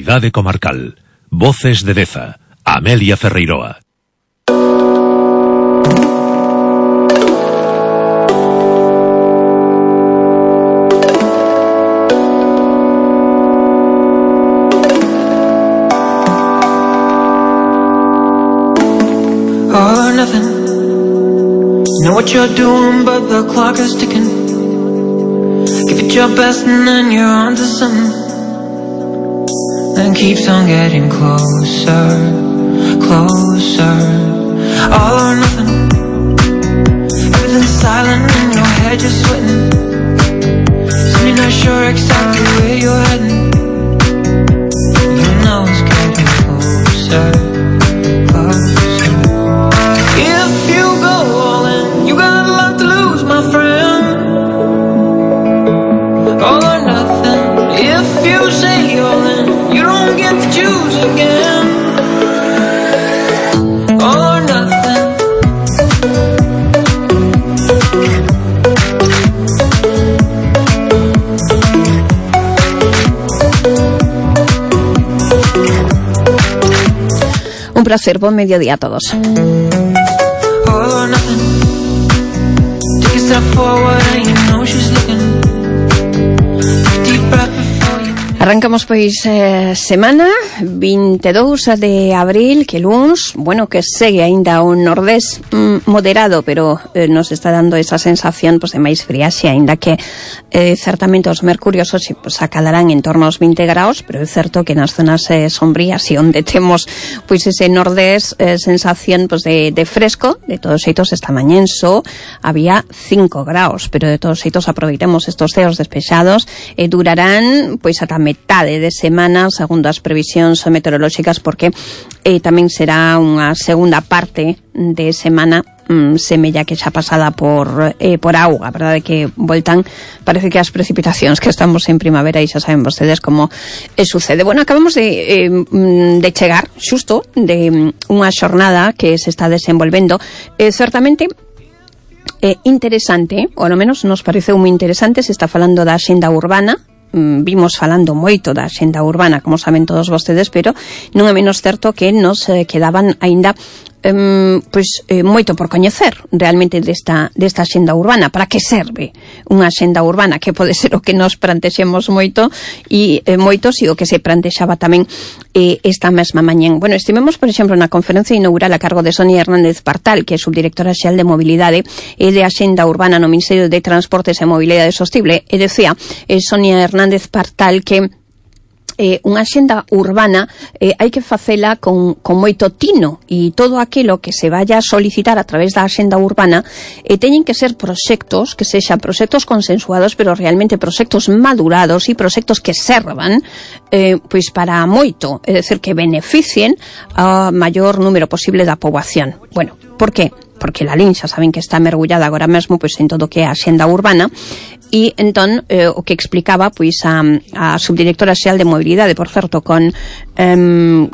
Actualidade comarcal. Voces de Deza. Amelia Ferreiroa. All or nothing. Know what you're doing, but the clock is ticking. Give it your best and then you're on to something. Then keeps on getting closer, closer. All or nothing. Everything's silent in your head, you're sweating. So you're not sure exactly where you're heading. You know it's getting closer, closer. If you go all in, you got a lot to lose, my friend. All or nothing. If you say all in, you don't get to choose again. All or nothing. Un placer, buen mediodía a todos. All or nothing. Take a step forward and you know she's looking. Deep breath before you. Arrancamos pois semana 22 de abril, que luns, bueno, que segue aínda un nordés moderado, pero nos está dando esa sensación pues de máis friaxe, aínda que certamente os mercurios pues acadarán en torno aos 20 graus, pero é certo que nas zonas sombrías e onde temos pois ese nordés sensación pues de fresco. De todos xeitos esta mañá en Só había 5 graus, pero de todos xeitos aproveitemos estos ceos despexados e durarán pois ata metade de semana, segundo as previsións meteorolóxicas, porque tamén será unha segunda parte de semana semella que xa pasada por auga, verdade, que voltan, parece que as precipitacións, que estamos en primavera e xa saben vostedes como sucede. Bueno, acabamos de chegar xusto de unha xornada que se está desenvolvendo certamente interesante, ou ao menos nos pareceu moi interesante. Se está falando da axenda urbana. Vimos falando moito da axenda urbana, como saben todos vostedes, pero non é menos certo que nos quedaban aínda moito por coñecer realmente desta axenda urbana. Para que serve unha axenda urbana? Que pode ser o que nos plantexemos moito e moitos, e o que se plantexaba tamén esta mesma mañán. Bueno, estivemos, por exemplo, na conferencia inaugural a cargo de Sonia Hernández Partal, que é subdirectora xeral de Mobilidade e de Axenda Urbana no Ministerio de Transportes e Mobilidade Sostible, e decía Sonia Hernández Partal que unha axenda urbana hai que facela con moito tino, e todo aquilo que se vaya a solicitar a través da axenda urbana teñen que ser proxectos que sexan proxectos consensuados, pero realmente proxectos madurados e proxectos que servan pois para moito, é dicir, que beneficien ao maior número posible da poboación. Bueno, por que? Porque la LIN xa saben que está mergullada agora mesmo pois en todo o que é a axenda urbana, e entón o que explicaba pois a subdirectora xeral de Mobilidade, por certo, con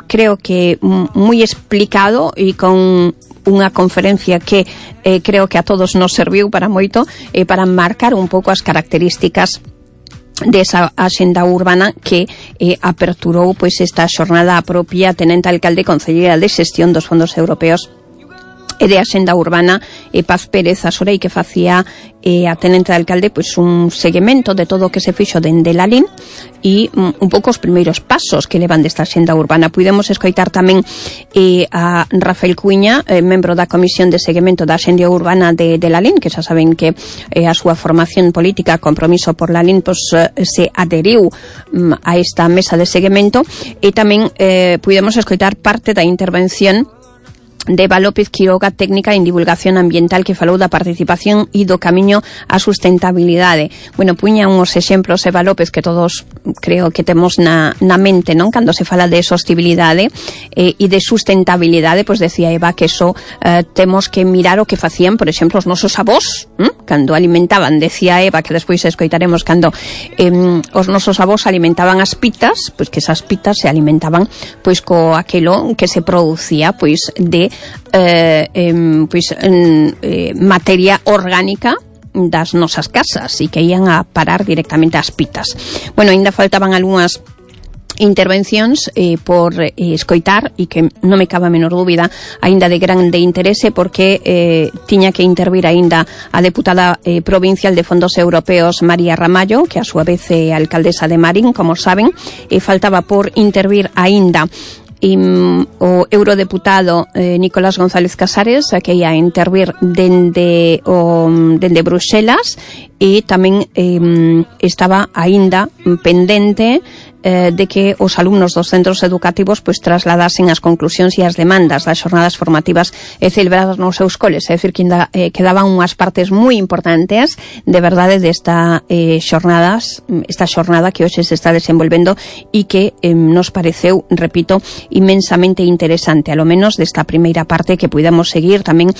creo que moi explicado e con unha conferencia que creo que a todos nos serviu para moito, para marcar un pouco as características desa axenda urbana que aperturou pois esta xornada a propia tenente alcalde concelleira de xestión dos fondos europeos e de axenda urbana Paz Pérez Asorei, que facía a tenente de alcalde pois un seguimento de todo o que se fixo dende la LIN e un pouco os primeiros pasos que levan desta axenda urbana. Puidemos escoitar tamén a Rafael Cuiña, membro da Comisión de Seguimento da Axenda Urbana de la LIN, que xa saben que a súa formación política, Compromiso por la LIN, pois se adheriu a esta mesa de seguimento, e tamén puidemos escoitar parte da intervención de Eva López Quiroga, técnica en divulgación ambiental, que falou da participación e do camiño á sustentabilidade. Bueno, puña uns exemplos Eva López que todos creo que temos na mente, non? Cando se fala de sostibilidade e de sustentabilidade, pois decía Eva que eso temos que mirar o que facían, por exemplo, os nosos avós, cando alimentaban, decía Eva, que despois escoitaremos, cando os nosos avós alimentaban as pitas, pois que esas pitas se alimentaban pois co aquelo que se producía pois de materia orgánica das nosas casas e que ian a parar directamente ás pitas. Bueno, ainda faltaban algunhas intervencións por escoitar e que non me cabe a menor dúbida aínda de grande interese porque tiña que intervir aínda a deputada provincial de Fondos Europeos María Ramallo, que a súa vez é alcaldesa de Marín, como saben, e faltaba por intervir aínda o eurodeputado Nicolás González Casares, que ia intervir dende Bruxelas, e tamén estaba aínda pendente de que os alumnos dos centros educativos pois trasladasen as conclusións e as demandas das xornadas formativas celebradas nos seus coles, é dicir, que ainda quedaban unhas partes moi importantes de verdade desta esta xornada que hoxe se está desenvolvendo e que nos pareceu, repito, inmensamente interesante, a lo menos desta primeira parte que puidamos seguir. Tamén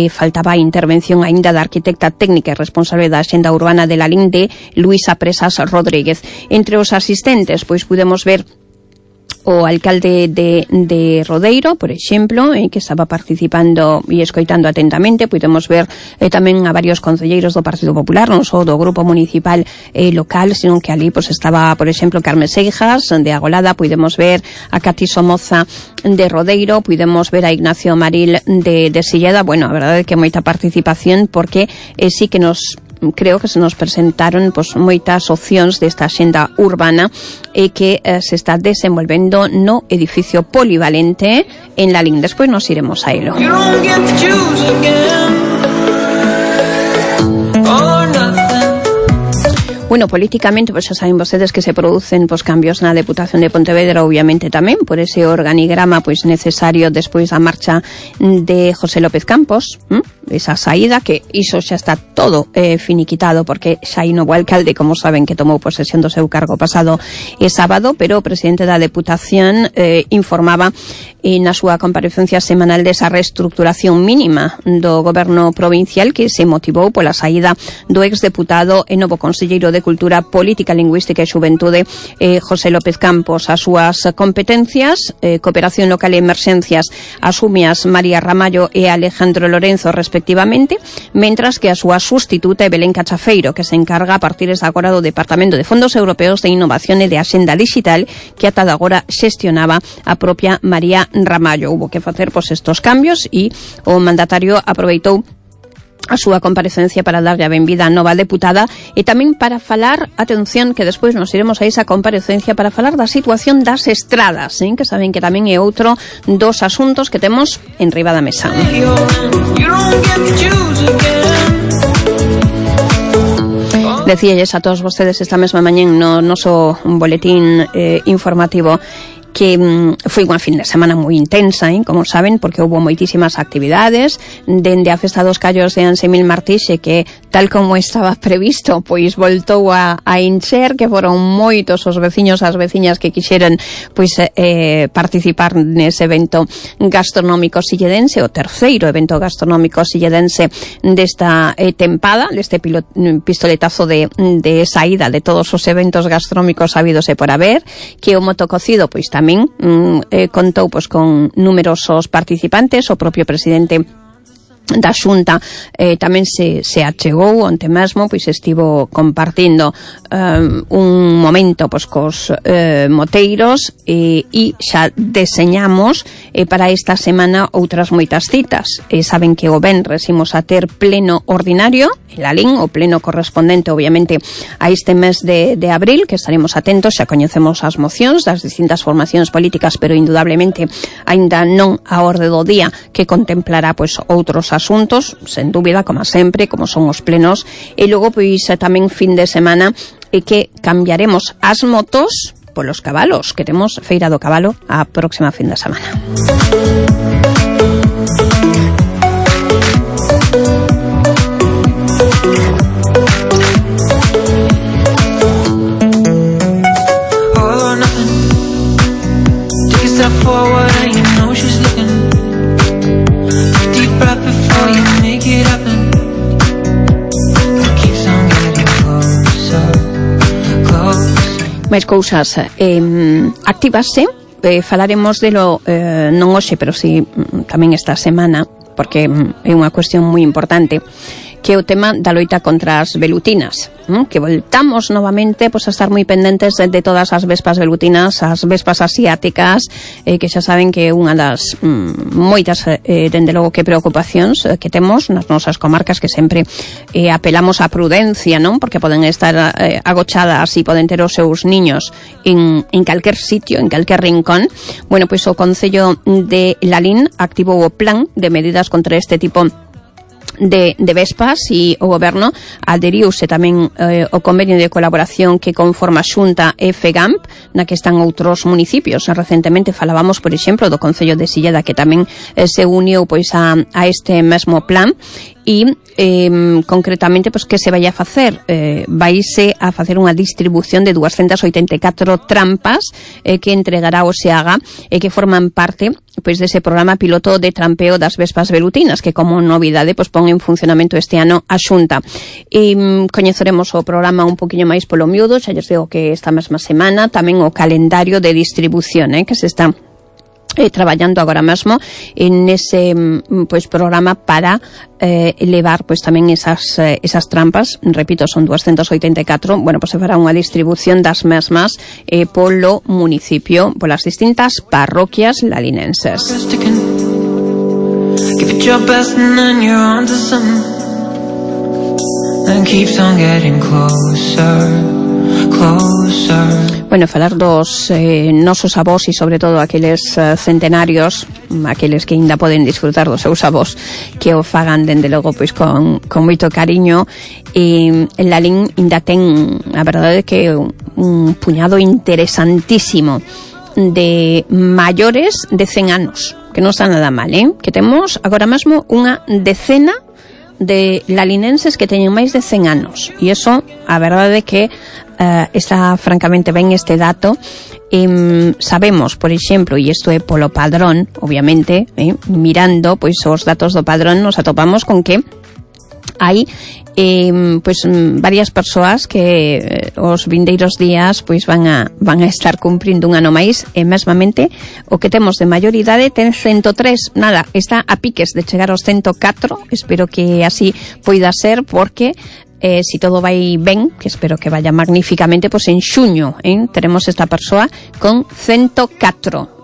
faltaba a intervención aínda da arquitecta técnica e responsable da Axenda Urbana de la LIN de Luisa Presas Rodríguez. Entre os asistentes pois pudemos ver o alcalde de Rodeiro, por exemplo, que estaba participando e escoitando atentamente. Pudemos ver tamén a varios concelleiros do Partido Popular, non só do grupo municipal local, sino que ali pues, estaba, por exemplo, Carmen Seijas de Agolada. Pudemos ver a Cati Somoza de Rodeiro, pudemos ver a Ignacio Maril de Silleda. Bueno, a verdade é que moita participación, porque sí que creo que se nos presentaron pues, moitas opcións desta axenda urbana que se está desenvolvendo no edificio polivalente en la LIN. Despois nos iremos a elo. Bueno, políticamente, pues xa saben vostedes que se producen pues, cambios na Deputación de Pontevedra, obviamente tamén, por ese organigrama pues, necesario despois da marcha de José López Campos, esa saída, que iso xa está todo finiquitado, porque xa hai novo alcalde, como saben, que tomou posesión do seu cargo pasado sábado, pero o presidente da Deputación informaba na súa comparecencia semanal desa reestructuración mínima do goberno provincial que se motivou pola saída do exdeputado e novo conselleiro de Cultura, Política, Lingüística e Xuventude José López Campos. As súas competencias, cooperación local e emerxencias, asúmeas María Ramallo e Alejandro Lorenzo respectivamente, mentras que a súa sustituta é Belén Cachafeiro, que se encarga a partir de agora do Departamento de Fondos Europeos de Innovación e de Axenda Digital, que ata de agora xestionaba a propia María Ramallo. Hubo que facer pues, estos cambios e o mandatario aproveitou a súa comparecencia para darlle a benvida a nova deputada e tamén para falar, atención, que despois nos iremos a esa comparecencia para falar da situación das estradas, que saben que tamén é outro dos asuntos que temos en riba da mesa. Decíalles a todos vostedes esta mesma mañán no noso boletín informativo que foi unha fin de semana moi intensa, como saben, porque houve moitísimas actividades, dende a Festa dos Callos de Ansemil Martixe, que tal como estaba previsto, pois voltou a encher, que foron moitos os veciños, as veciñas que quixeran pois participar nese evento gastronómico silledense, o terceiro evento gastronómico silledense desta tempada, deste pistoletazo de saída de todos os eventos gastronómicos habidos e por haber, que o motococido pois tamén contou pues, con numerosos participantes. O propio presidente da Xunta tamén se achegou onte mesmo, pois estivo compartindo un momento pois, cos moteiros e xa deseñamos para esta semana outras moitas citas. Saben que o venres imos a ter pleno ordinario en la LIN, o pleno correspondente obviamente a este mes de abril, que estaremos atentos. Xa coñecemos as mocións das distintas formacións políticas, pero indudablemente aínda non a orde do día, que contemplará pois outros asuntos, sen dúbida, como sempre, como son os plenos, e logo pois tamén fin de semana que cambiaremos as motos polos cabalos, que temos Feira do Cabalo a próxima fin de semana. Forward and you know she's looking. Deep breath before you make it happen. It keeps on getting closer, closer. máis cousas activase. Falaremos delo non hoxe, pero si tamén esta semana, porque é unha cuestión moi importante. que é o tema da loita contra as velutinas, que voltamos novamente pois a estar moi pendentes de todas as vespas velutinas, as vespas asiáticas, que xa saben que é unha das moitas, dende logo, que preocupacións que temos nas nosas comarcas, que sempre apelamos á prudencia, non? Porque poden estar agochadas e poden ter os seus niños en calquer sitio, en calquer rincón. Bueno, pois o Concello de Lalín activou o plan de medidas contra este tipo de vespas, e o Goberno aderiuse tamén o convenio de colaboración que conforma a Xunta e FEGAMP, na que están outros municipios. Recentemente falábamos, por exemplo, do Concello de Silleda, que tamén se uniu pois a este mesmo plan. E concretamente, pois, que se vai a facer? Vaise a facer unha distribución de 284 trampas que entregará o SEAGA e que forman parte pois dese programa piloto de trampeo das vespas velutinas, que como novidade pois pon en funcionamento este ano a Xunta. E coñeceremos o programa un poquinho máis polo miúdo, xa lles digo que esta mesma semana, tamén o calendario de distribución que se está traballando agora mesmo en ese pois programa para levar pois tamén esas trampas. Repito, son 284. Bueno, pois se fará unha distribución das mesmas polo municipio, polas distintas parroquias lalinenses. Give it your best and then you're on to something and keeps on getting closer. Bueno, falar dos nosos avós e sobre todo aqueles centenarios, aqueles que ainda poden disfrutar dos seus avós, que o fagan dende logo pois con moito cariño. E Lalín ainda ten, a verdade, que un puñado interesantísimo de maiores de 100 anos, que non está nada mal, que temos agora mesmo unha decena de lalinenses que teñen máis de 100 anos, e iso, a verdade é que está francamente ben este dato. Sabemos, por exemplo, e isto é polo padrón, obviamente, mirando pois os datos do padrón, nos atopamos con que hai pois varias persoas que os vindeiros días pois van a estar cumprindo un ano máis, e mesmamente o que temos de maioridade ten 103, nada, está a piques de chegar aos 104. Espero que así poida ser, porque si todo vai ben, que espero que vaya magníficamente, pois en xuño teremos esta persoa con 104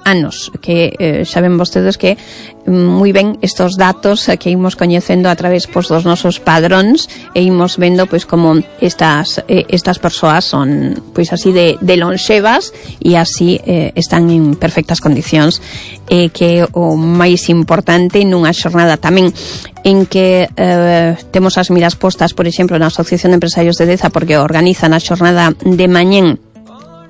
anos, que xa ven vostedes que moi ben estos datos que imos coñecendo a través pois dos nosos padróns, e imos vendo pois como estas persoas son pois así de lonxevas, e así están en perfectas condicións, que o máis importante nunha xornada tamén en que temos as miras postas, por exemplo, na Asociación de Empresarios de Deza, porque organizan a xornada de mañén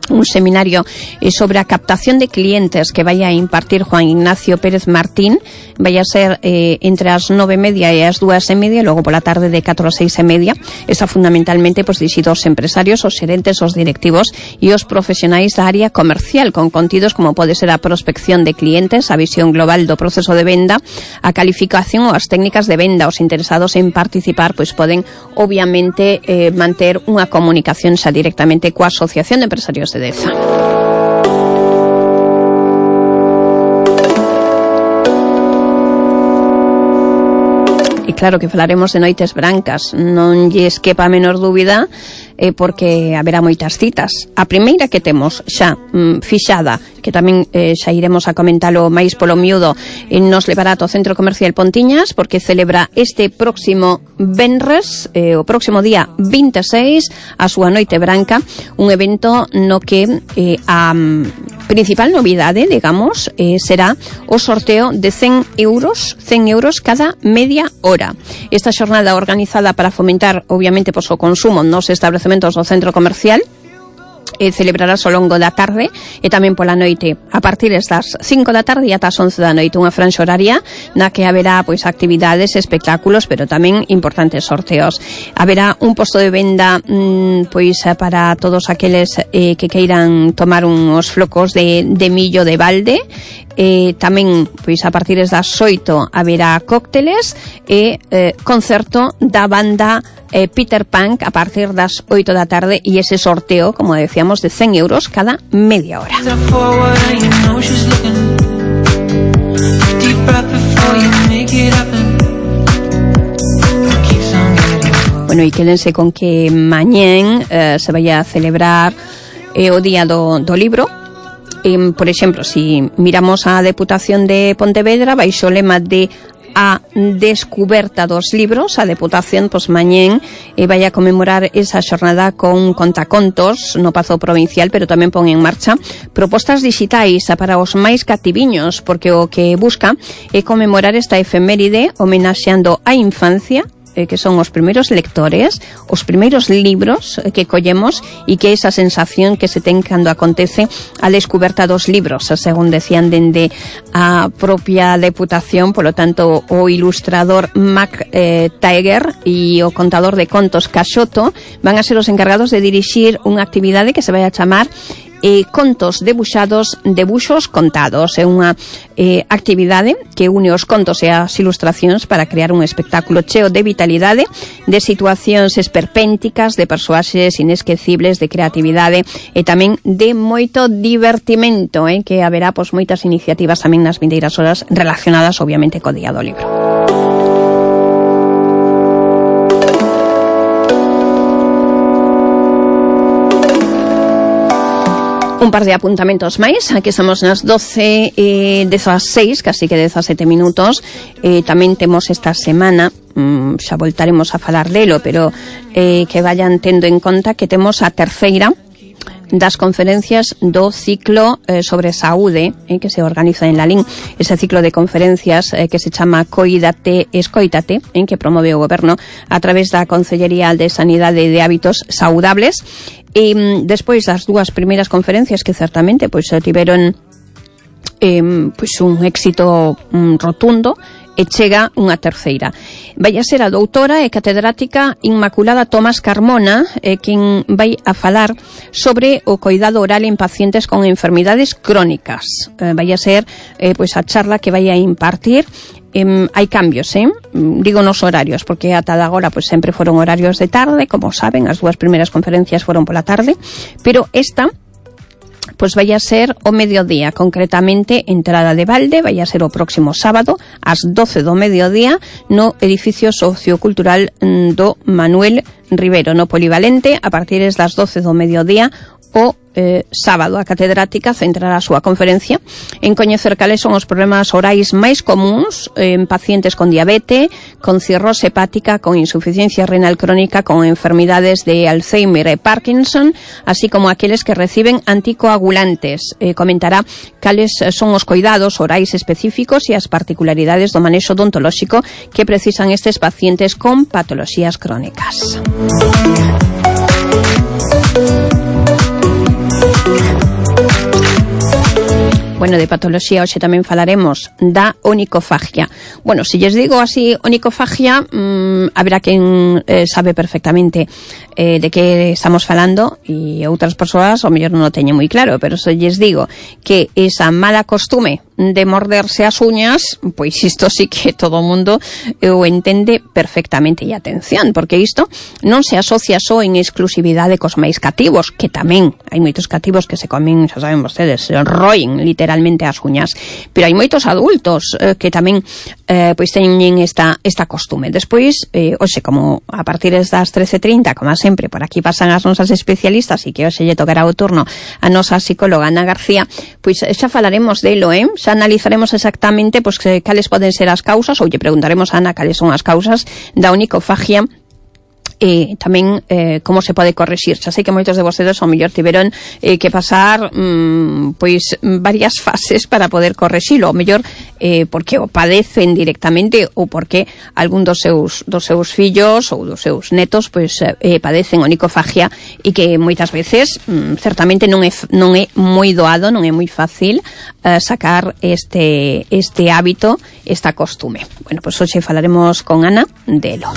un seminario sobre a captación de clientes que vai a impartir Juan Ignacio Pérez Martín. Vai a ser entre as 9:30 e as 2:30, e logo pola tarde de 4 a 6:30. Está fundamentalmente pois dirixido aos empresarios, aos xerentes, aos directivos e aos profesionais da área comercial, con contidos como pode ser a prospección de clientes, a visión global do proceso de venda, a calificación ou as técnicas de venda. Os interesados en participar pois poden obviamente manter unha comunicación xa directamente coa Asociación de Empresarios de Deza. E claro que falaremos de noites brancas, non lles quepa a menor dúbida, porque haberá moitas citas. A primeira que temos xa fixada, que tamén xa iremos a comentalo máis polo miúdo, nos levará ao Centro Comercial Pontiñas, porque celebra este próximo venres, o próximo día 26, a súa noite branca, un evento no que a principal novidade, digamos, será o sorteo de 100 euros cada media hora. Esta xornada organizada para fomentar, obviamente, o consumo nos establecementos do centro comercial, celebrarás ao longo da tarde e tamén pola noite, a partir das 5 da tarde e ata as 11 da noite, unha franxa horaria na que haberá pois actividades, espectáculos, pero tamén importantes sorteos. Haberá un posto de venda pois para todos aqueles que queiran tomar uns flocos de millo de balde. Tamén pois a partir das 8 haberá cócteles e concerto da banda Peter Punk a partir das 8 da tarde, e ese sorteo, como decíamos, de 100 euros cada media hora. Bueno, e quédense con que mañén se vai a celebrar o Día do Libro. Por exemplo, si miramos a Deputación de Pontevedra, baixo o lema de a descuberta dos libros, a Deputación mañén vai a conmemorar esa xornada con contacontos no Pazo Provincial, pero tamén pon en marcha propostas digitais para os máis cativiños, porque o que busca é conmemorar esta efeméride homenaxeando a infancia, que son os primeiros lectores, os primeiros libros que collemos, e que esa sensación que se ten cando acontece a descuberta dos libros, según decían dende a propia Deputación. Polo tanto, o ilustrador Mac Tiger e o contador de contos Caxoto van a ser os encargados de dirixir unha actividade que se vai a chamar Contos debuxados, debuxos contados. É unha actividade que une os contos e as ilustracións para crear un espectáculo cheo de vitalidade, de situacións esperpénticas, de persoaxes inesquecibles, de creatividade e tamén de moito divertimento, que haberá moitas iniciativas tamén nas vindeiras horas relacionadas obviamente co Día do Libro. Un par de apuntamentos máis. Aquí estamos nas 12:16, casi que 17 minutos. Tamén temos esta semana, xa voltaremos a falar delo, pero que vayan tendo en conta que temos a terceira das conferencias do ciclo sobre saúde, que se organiza en Lalín. Ese ciclo de conferencias que se chama Coídate, Escoítate, que promove o Goberno a través da Consellería de Sanidade e de Hábitos Saudables. E despois das dúas primeiras conferencias que certamente tiveron un éxito rotundo, e chega unha terceira. Vai a ser a doutora e catedrática Inmaculada Tomás Carmona, quen vai a falar sobre o coidado oral en pacientes con enfermidades crónicas. Vai a ser a charla que vai a impartir. Hai cambios, digo nos horarios, porque ata agora sempre foron horarios de tarde, como saben, as dúas primeiras conferencias foron pola tarde, pero esta vai a ser o mediodía, concretamente entrada de balde, vai a ser o próximo sábado ás 12 do mediodía no edificio sociocultural do Manuel Rivero, no Polivalente, a partir das 12 do mediodía o sábado. A catedrática centrará a súa conferencia en coñecer cales son os problemas orais máis comuns en pacientes con diabete, con cirrose hepática, con insuficiencia renal crónica, con enfermidades de Alzheimer e Parkinson, así como aqueles que reciben anticoagulantes. Comentará cales son os coidados orais específicos e as particularidades do manexo odontolóxico que precisan estes pacientes con patoloxías crónicas. Bueno, de patoloxía hoxe tamén falaremos da onicofagia. Bueno, se lles digo así onicofagia, haberá quen sabe perfectamente de que estamos falando, e outras persoas ao mellor non o teñen moi claro, pero se lles digo que esa mala costume de morderse as uñas, pois isto sí que todo o mundo o entende perfectamente. E atención, porque isto non se asocia só en exclusividade cos máis cativos, que tamén hai moitos cativos que se comen, xa saben vostedes, se roen literalmente as uñas, pero hai moitos adultos que tamén teñen esta costume. Despois, hoxe, como a partir das 13:30, como sempre, por aquí pasan as nosas especialistas, e que hoxe lle tocará o turno a nosa psicóloga Ana García, pois xa falaremos delo, xa analizaremos exactamente cales poden ser as causas, ou lle preguntaremos a Ana cales son as causas da onicofagia, e tamén como se pode correxir. Xa sei que moitos de vostedes ao mellor tiveron que pasar varias fases para poder correxilo, ao mellor porque o padecen directamente, ou porque algún dos seus fillos ou dos seus netos padecen onicofagia, e que moitas veces certamente non é moi doado, non é moi fácil sacar este hábito, esta costume. Bueno, pois hoxe falaremos con Ana delo.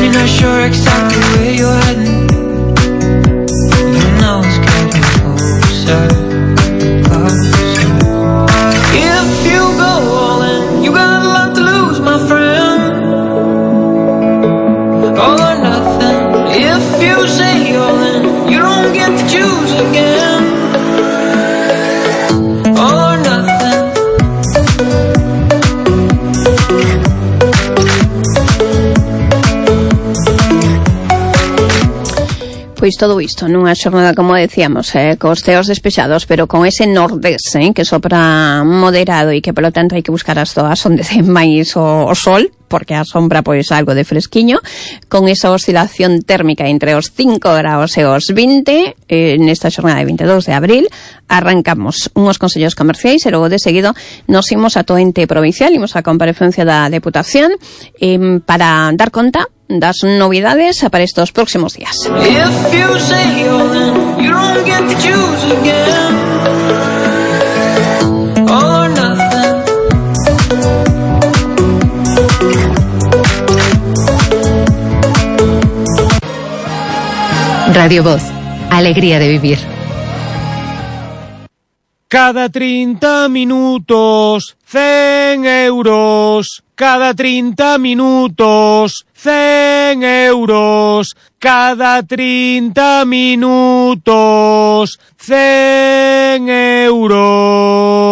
You're not sure exactly where you're heading. You know it's getting closer, closer. If you go all in, you got a lot to lose, my friend. All or nothing. If you say all in, you don't get to choose again. All or nothing. Pois todo isto nunha xornada, como decíamos, cos ceos despexados, pero con ese nordés, que sopra moderado e que, polo tanto, hai que buscar as zoas onde ten máis o sol, porque a sombra, pois, algo de fresquiño, con esa oscilación térmica entre os 5 graus e os 20, nesta xornada de 22 de abril, arrancamos unhos consellos comerciais e logo de seguido nos imos a todo ente provincial, imos a comparecencia da Deputación para dar conta das novidades para estos próximos días. Radio Voz, alegría de vivir. Cada 30 minutos, 100 euros. Cada 30 minutos, 100 euros. Cada 30 minutos, 100 euros.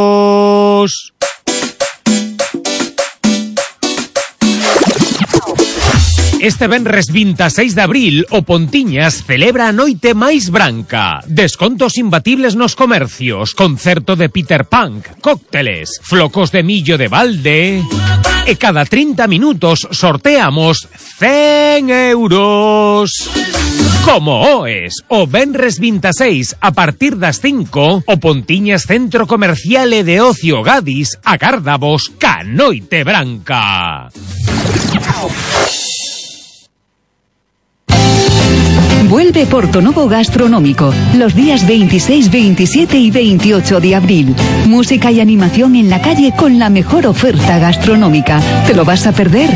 Este venres 26 de abril, o Pontiñas celebra a noite máis branca. Descontos imbatibles nos comercios, concerto de Peter Punk, cócteles, flocos de millo de balde. E cada 30 minutos sorteamos 100 euros. Como oes, o venres 26 a partir das 5, o Pontiñas Centro Comercial e de Ocio Gadis agárdavos ca noite branca. Vuelve Portonovo Gastronómico, los días 26, 27 y 28 de abril. Música y animación en la calle con la mejor oferta gastronómica. ¿Te lo vas a perder?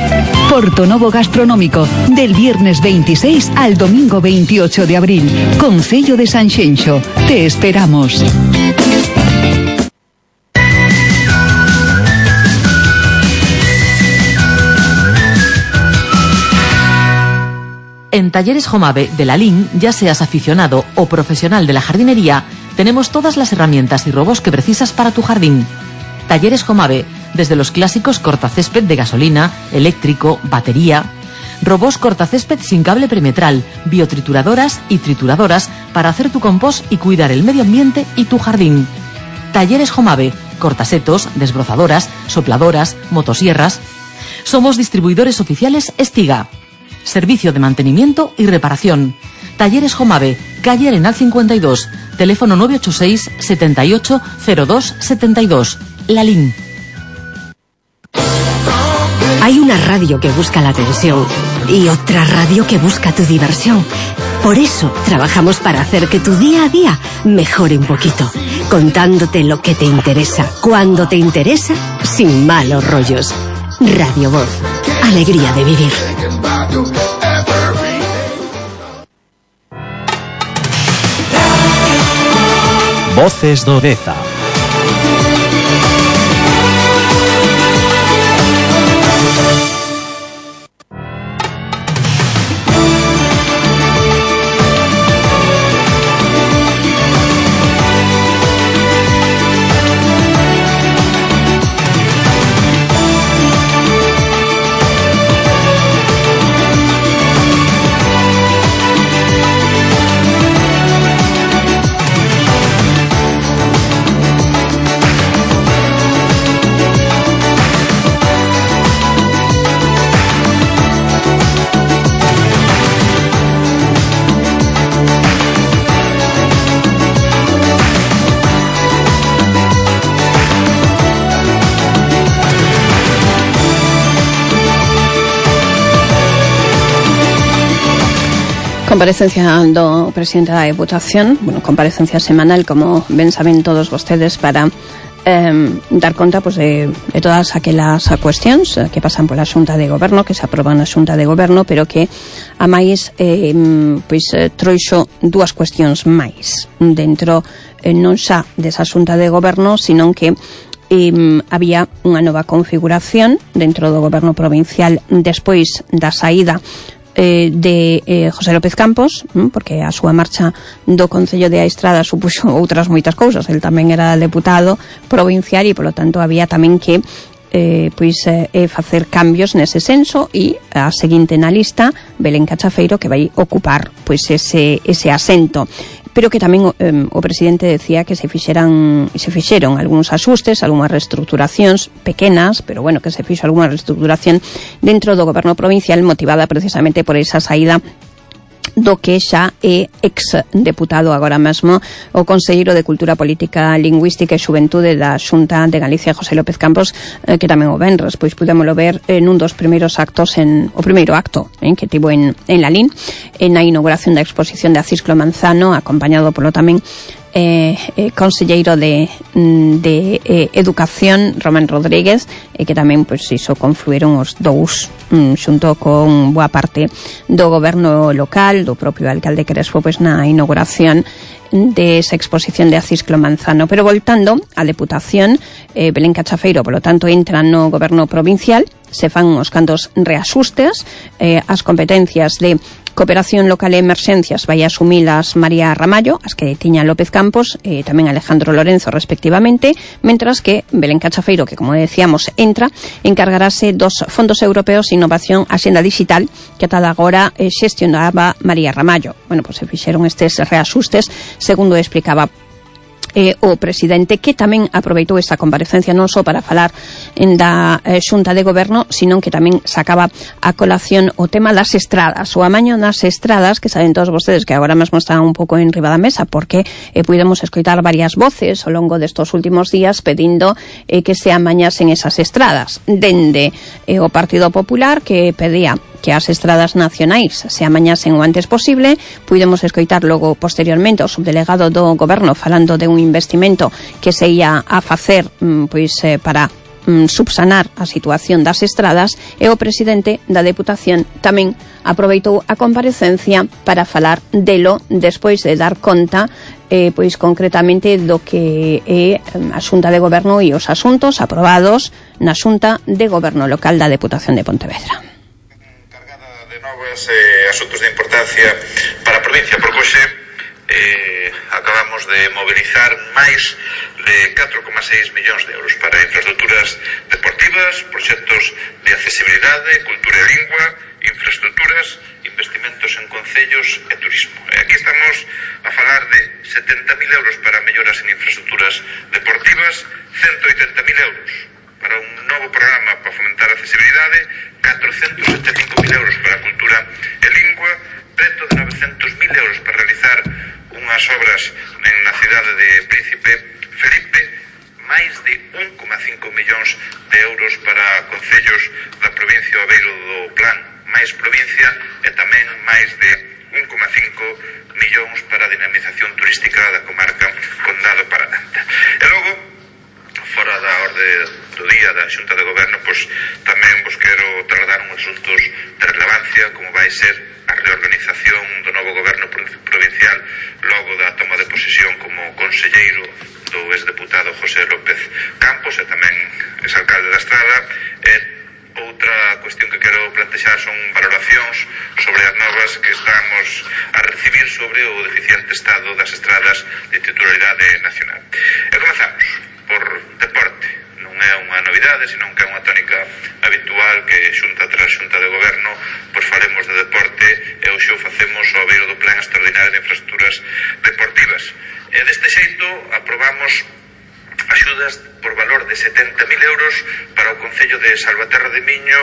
Portonovo Gastronómico, del viernes 26 al domingo 28 de abril. Concello de Sanxenxo. Te esperamos. En Talleres Jomave de la LIN, ya seas aficionado o profesional de la jardinería, tenemos todas las herramientas y robos que precisas para tu jardín. Talleres Jomave, desde los clásicos cortacésped de gasolina, eléctrico, batería, robos cortacésped sin cable perimetral, biotrituradoras y trituradoras para hacer tu compost y cuidar el medio ambiente y tu jardín. Talleres Jomave, cortasetos, desbrozadoras, sopladoras, motosierras. Somos distribuidores oficiales Estiga. Servicio de mantenimiento y reparación. Talleres Jomave, calle Arenal 52, teléfono 986 78 02 72. La LIN. Hay una radio que busca la atención y otra radio que busca tu diversión. Por eso trabajamos para hacer que tu día a día mejore un poquito, contándote lo que te interesa, cuando te interesa, sin malos rollos. Radio Voz, alegría de vivir. Voces do Deza. Comparecencia do presidente da Deputación, comparecencia semanal, como ben saben todos vostedes, para dar conta de todas aquelas cuestións que pasan pola Xunta de Goberno, que se aproban na Xunta de Goberno, pero que a máis trouxo dúas cuestións máis dentro, non xa desa Xunta de Goberno, sino que había unha nova configuración dentro do Goberno provincial despois da saída de José López Campos, porque a súa marcha do Concello de Aistrada supuxo outras moitas cousas. El tamén era deputado provincial e, polo tanto, había tamén que facer cambios nese senso, e a seguinte na lista, Belén Cachafeiro, que vai ocupar pois ese asento. Pero que tamén o presidente decía que se fixeron algúns axustes, algunhas reestructuracións pequenas, pero bueno, que se fixo algunha reestructuración dentro do goberno provincial, motivada precisamente por esa saída do que xa é ex-deputado agora mesmo o conselleiro de Cultura Política, Lingüística e Xuventude da Xunta de Galicia, José López Campos, que tamén o venres, pois pudémolo ver nun dos primeiros actos, o primeiro acto que tivo en Lalín, na inauguración da exposición de Acisclo Manzano, acompañado polo tamén conselleiro de Educación, Román Rodríguez, que tamén pois iso confluíron os dous xunto con boa parte do goberno local, do propio alcalde Crespo, pois na inauguración de esa exposición de Acisclo Manzano. Pero voltando á Deputación, Belén Cachafeiro, polo tanto, entra no goberno provincial, se fan os cantos reaxustes, as competencias de Cooperación Local e Emerxencias vai asumilas María Ramallo, as que tiña López Campos e tamén Alejandro Lorenzo respectivamente, mentras que Belén Cachafeiro, que como decíamos encargarase dos fondos europeos de innovación Axenda Digital, que ata agora xestionaba María Ramallo. Bueno, pois se fixeron estes reaxustes, segundo explicaba o presidente, que tamén aproveitou esta comparecencia non só para falar da Xunta de Goberno, sino que tamén sacaba a colación o tema das estradas, o amaño das estradas, que saben todos vostedes que agora mesmo están un pouco en riba da mesa, porque pudemos escoitar varias voces ao longo destos últimos días pedindo que se amañasen esas estradas, dende o Partido Popular, que pedía que as estradas nacionais se amañasen o antes posible. Pudemos escoitar logo posteriormente o subdelegado do goberno falando de un investimento que se ia a facer para subsanar a situación das estradas, e o presidente da Deputación tamén aproveitou a comparecencia para falar delo despois de dar conta pois concretamente do que é a Xunta de Goberno e os asuntos aprobados na Xunta de Goberno Local da Deputación de Pontevedra. Asuntos de importancia para a provincia, porque hoxe acabamos de mobilizar máis de 4,6 millóns de euros para infraestructuras deportivas, proxectos de accesibilidade, cultura e lingua, infraestructuras, investimentos en concellos e turismo. Aquí estamos a falar de 70.000 euros para melloras en infraestructuras deportivas, 180.000 euros para un novo programa para fomentar a accesibilidade, 475.000 euros para cultura e lingua, preto de 900.000 euros para realizar unhas obras na cidade de Príncipe Felipe, máis de 1,5 millóns de euros para concellos da provincia ao beiro do plan máis provincia, e tamén máis de 1,5 millóns para a dinamización turística da comarca Condado Parananta. E logo, fora da orde do día da Xunta de Goberno, pois tamén vos quero trasladar uns asuntos de relevancia, como vai ser a reorganización do novo goberno provincial logo da toma de posesión como conselleiro do exdeputado José López Campos, e tamén exalcalde da Estrada. E outra cuestión que quero plantexar son valoracións sobre as novas que estamos a recibir sobre o deficiente estado das estradas de titularidade nacional. E comezamos por deporte. Non é unha novidade, senón que é unha tónica habitual que xunta tras xunta de goberno pois falemos de deporte, e hoxe o facemos ao beiro do Plan Extraordinario de Infraestructuras Deportivas. E deste xeito aprobamos axudas por valor de 70.000 euros para o Concello de Salvaterra de Miño,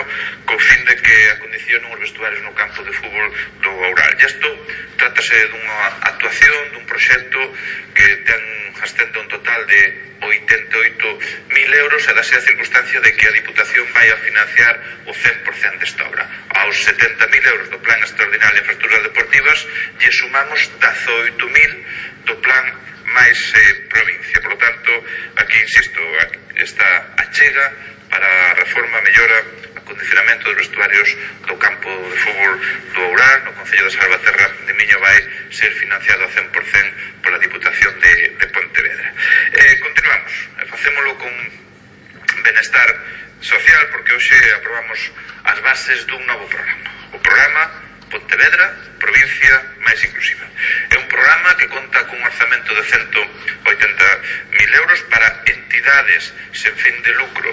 co fin de que acondicionen os vestuarios no campo de fútbol do Oural. E isto trátase dunha actuación, dun proxecto que ten ascende un total de 88.000 euros, e dase a circunstancia de que a Diputación vai a financiar o 100% desta obra. Aos 70.000 euros do Plan Extraordinario de Infraestructuras Deportivas lle sumamos 18.000 do Plan máis provincia. Por lo tanto, aquí insisto, esta achega para a reforma mellora acondicionamento dos vestuarios do campo de fútbol do Oural no Concello de Salvaterra de Miño vai ser financiado a 100% pola Diputación de Pontevedra. Continuamos, facémolo con benestar social, porque hoxe aprobamos as bases dun novo programa, o programa Pontevedra, provincia máis inclusiva. É un programa que conta cun orzamento de 180.000 euros para entidades entidades sen fins de lucro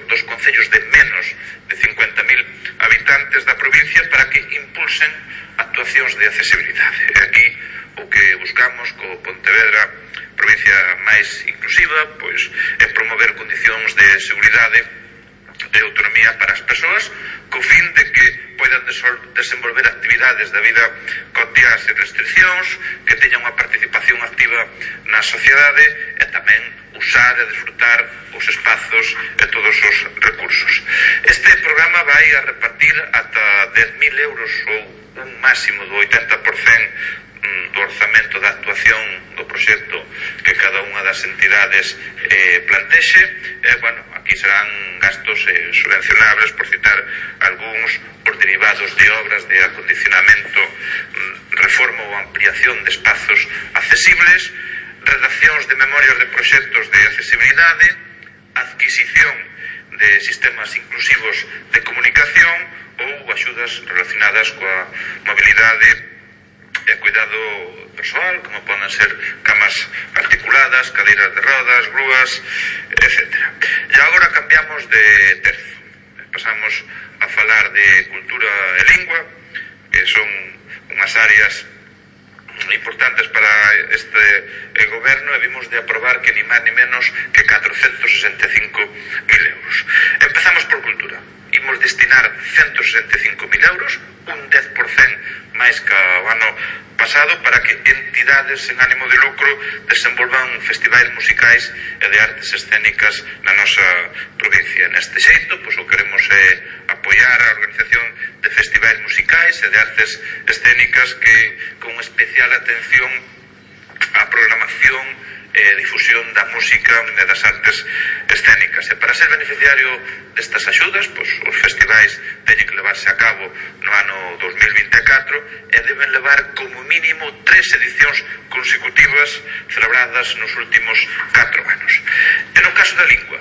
dos concellos de menos de 50.000 habitantes da provincia para que impulsen actuacións de accesibilidade. E aquí o que buscamos co Pontevedra provincia máis inclusiva pois é promover condicións de seguridade e autonomía para as persoas co fin de que poidan desenvolver actividades da vida cotiá sen restriccións, que teñan unha participación activa na sociedade e tamén usar e disfrutar os espazos e todos os recursos. Este programa vai a repartir ata 10.000 euros ou un máximo do 80% do orzamento da actuación do proxecto que cada unha das entidades plantexe. Aquí serán gastos subvencionables, por citar algúns, por derivados de obras de acondicionamento, reforma ou ampliación de espazos accesibles, redaccións de memorias de proxectos de accesibilidade, adquisición de sistemas inclusivos de comunicación ou axudas relacionadas coa mobilidade e cuidado persoal, como poden ser camas articuladas, cadeiras de rodas, grúas, etc. E agora cambiamos de terzo. Pasamos a falar de cultura e lingua, que son unhas áreas importantes para este goberno, e vimos de aprobar que ni máis ni menos que 465.000 euros. Empezamos por cultura. Imos destinar 165.000 euros, un 10% máis que o ano pasado, para que entidades sen ánimo de lucro desenvolvan festivais musicais e de artes escénicas na nosa provincia. Neste xeito, pois o queremos apoiar a organización de festivais musicais e de artes escénicas que con especial atención á programación e difusión da música e das artes escénicas. E para ser beneficiario destas axudas, pois os festivais teñen que levarse a cabo no ano 2024 e deben levar como mínimo 3 edicións consecutivas celebradas nos últimos 4 anos. E no caso da lingua,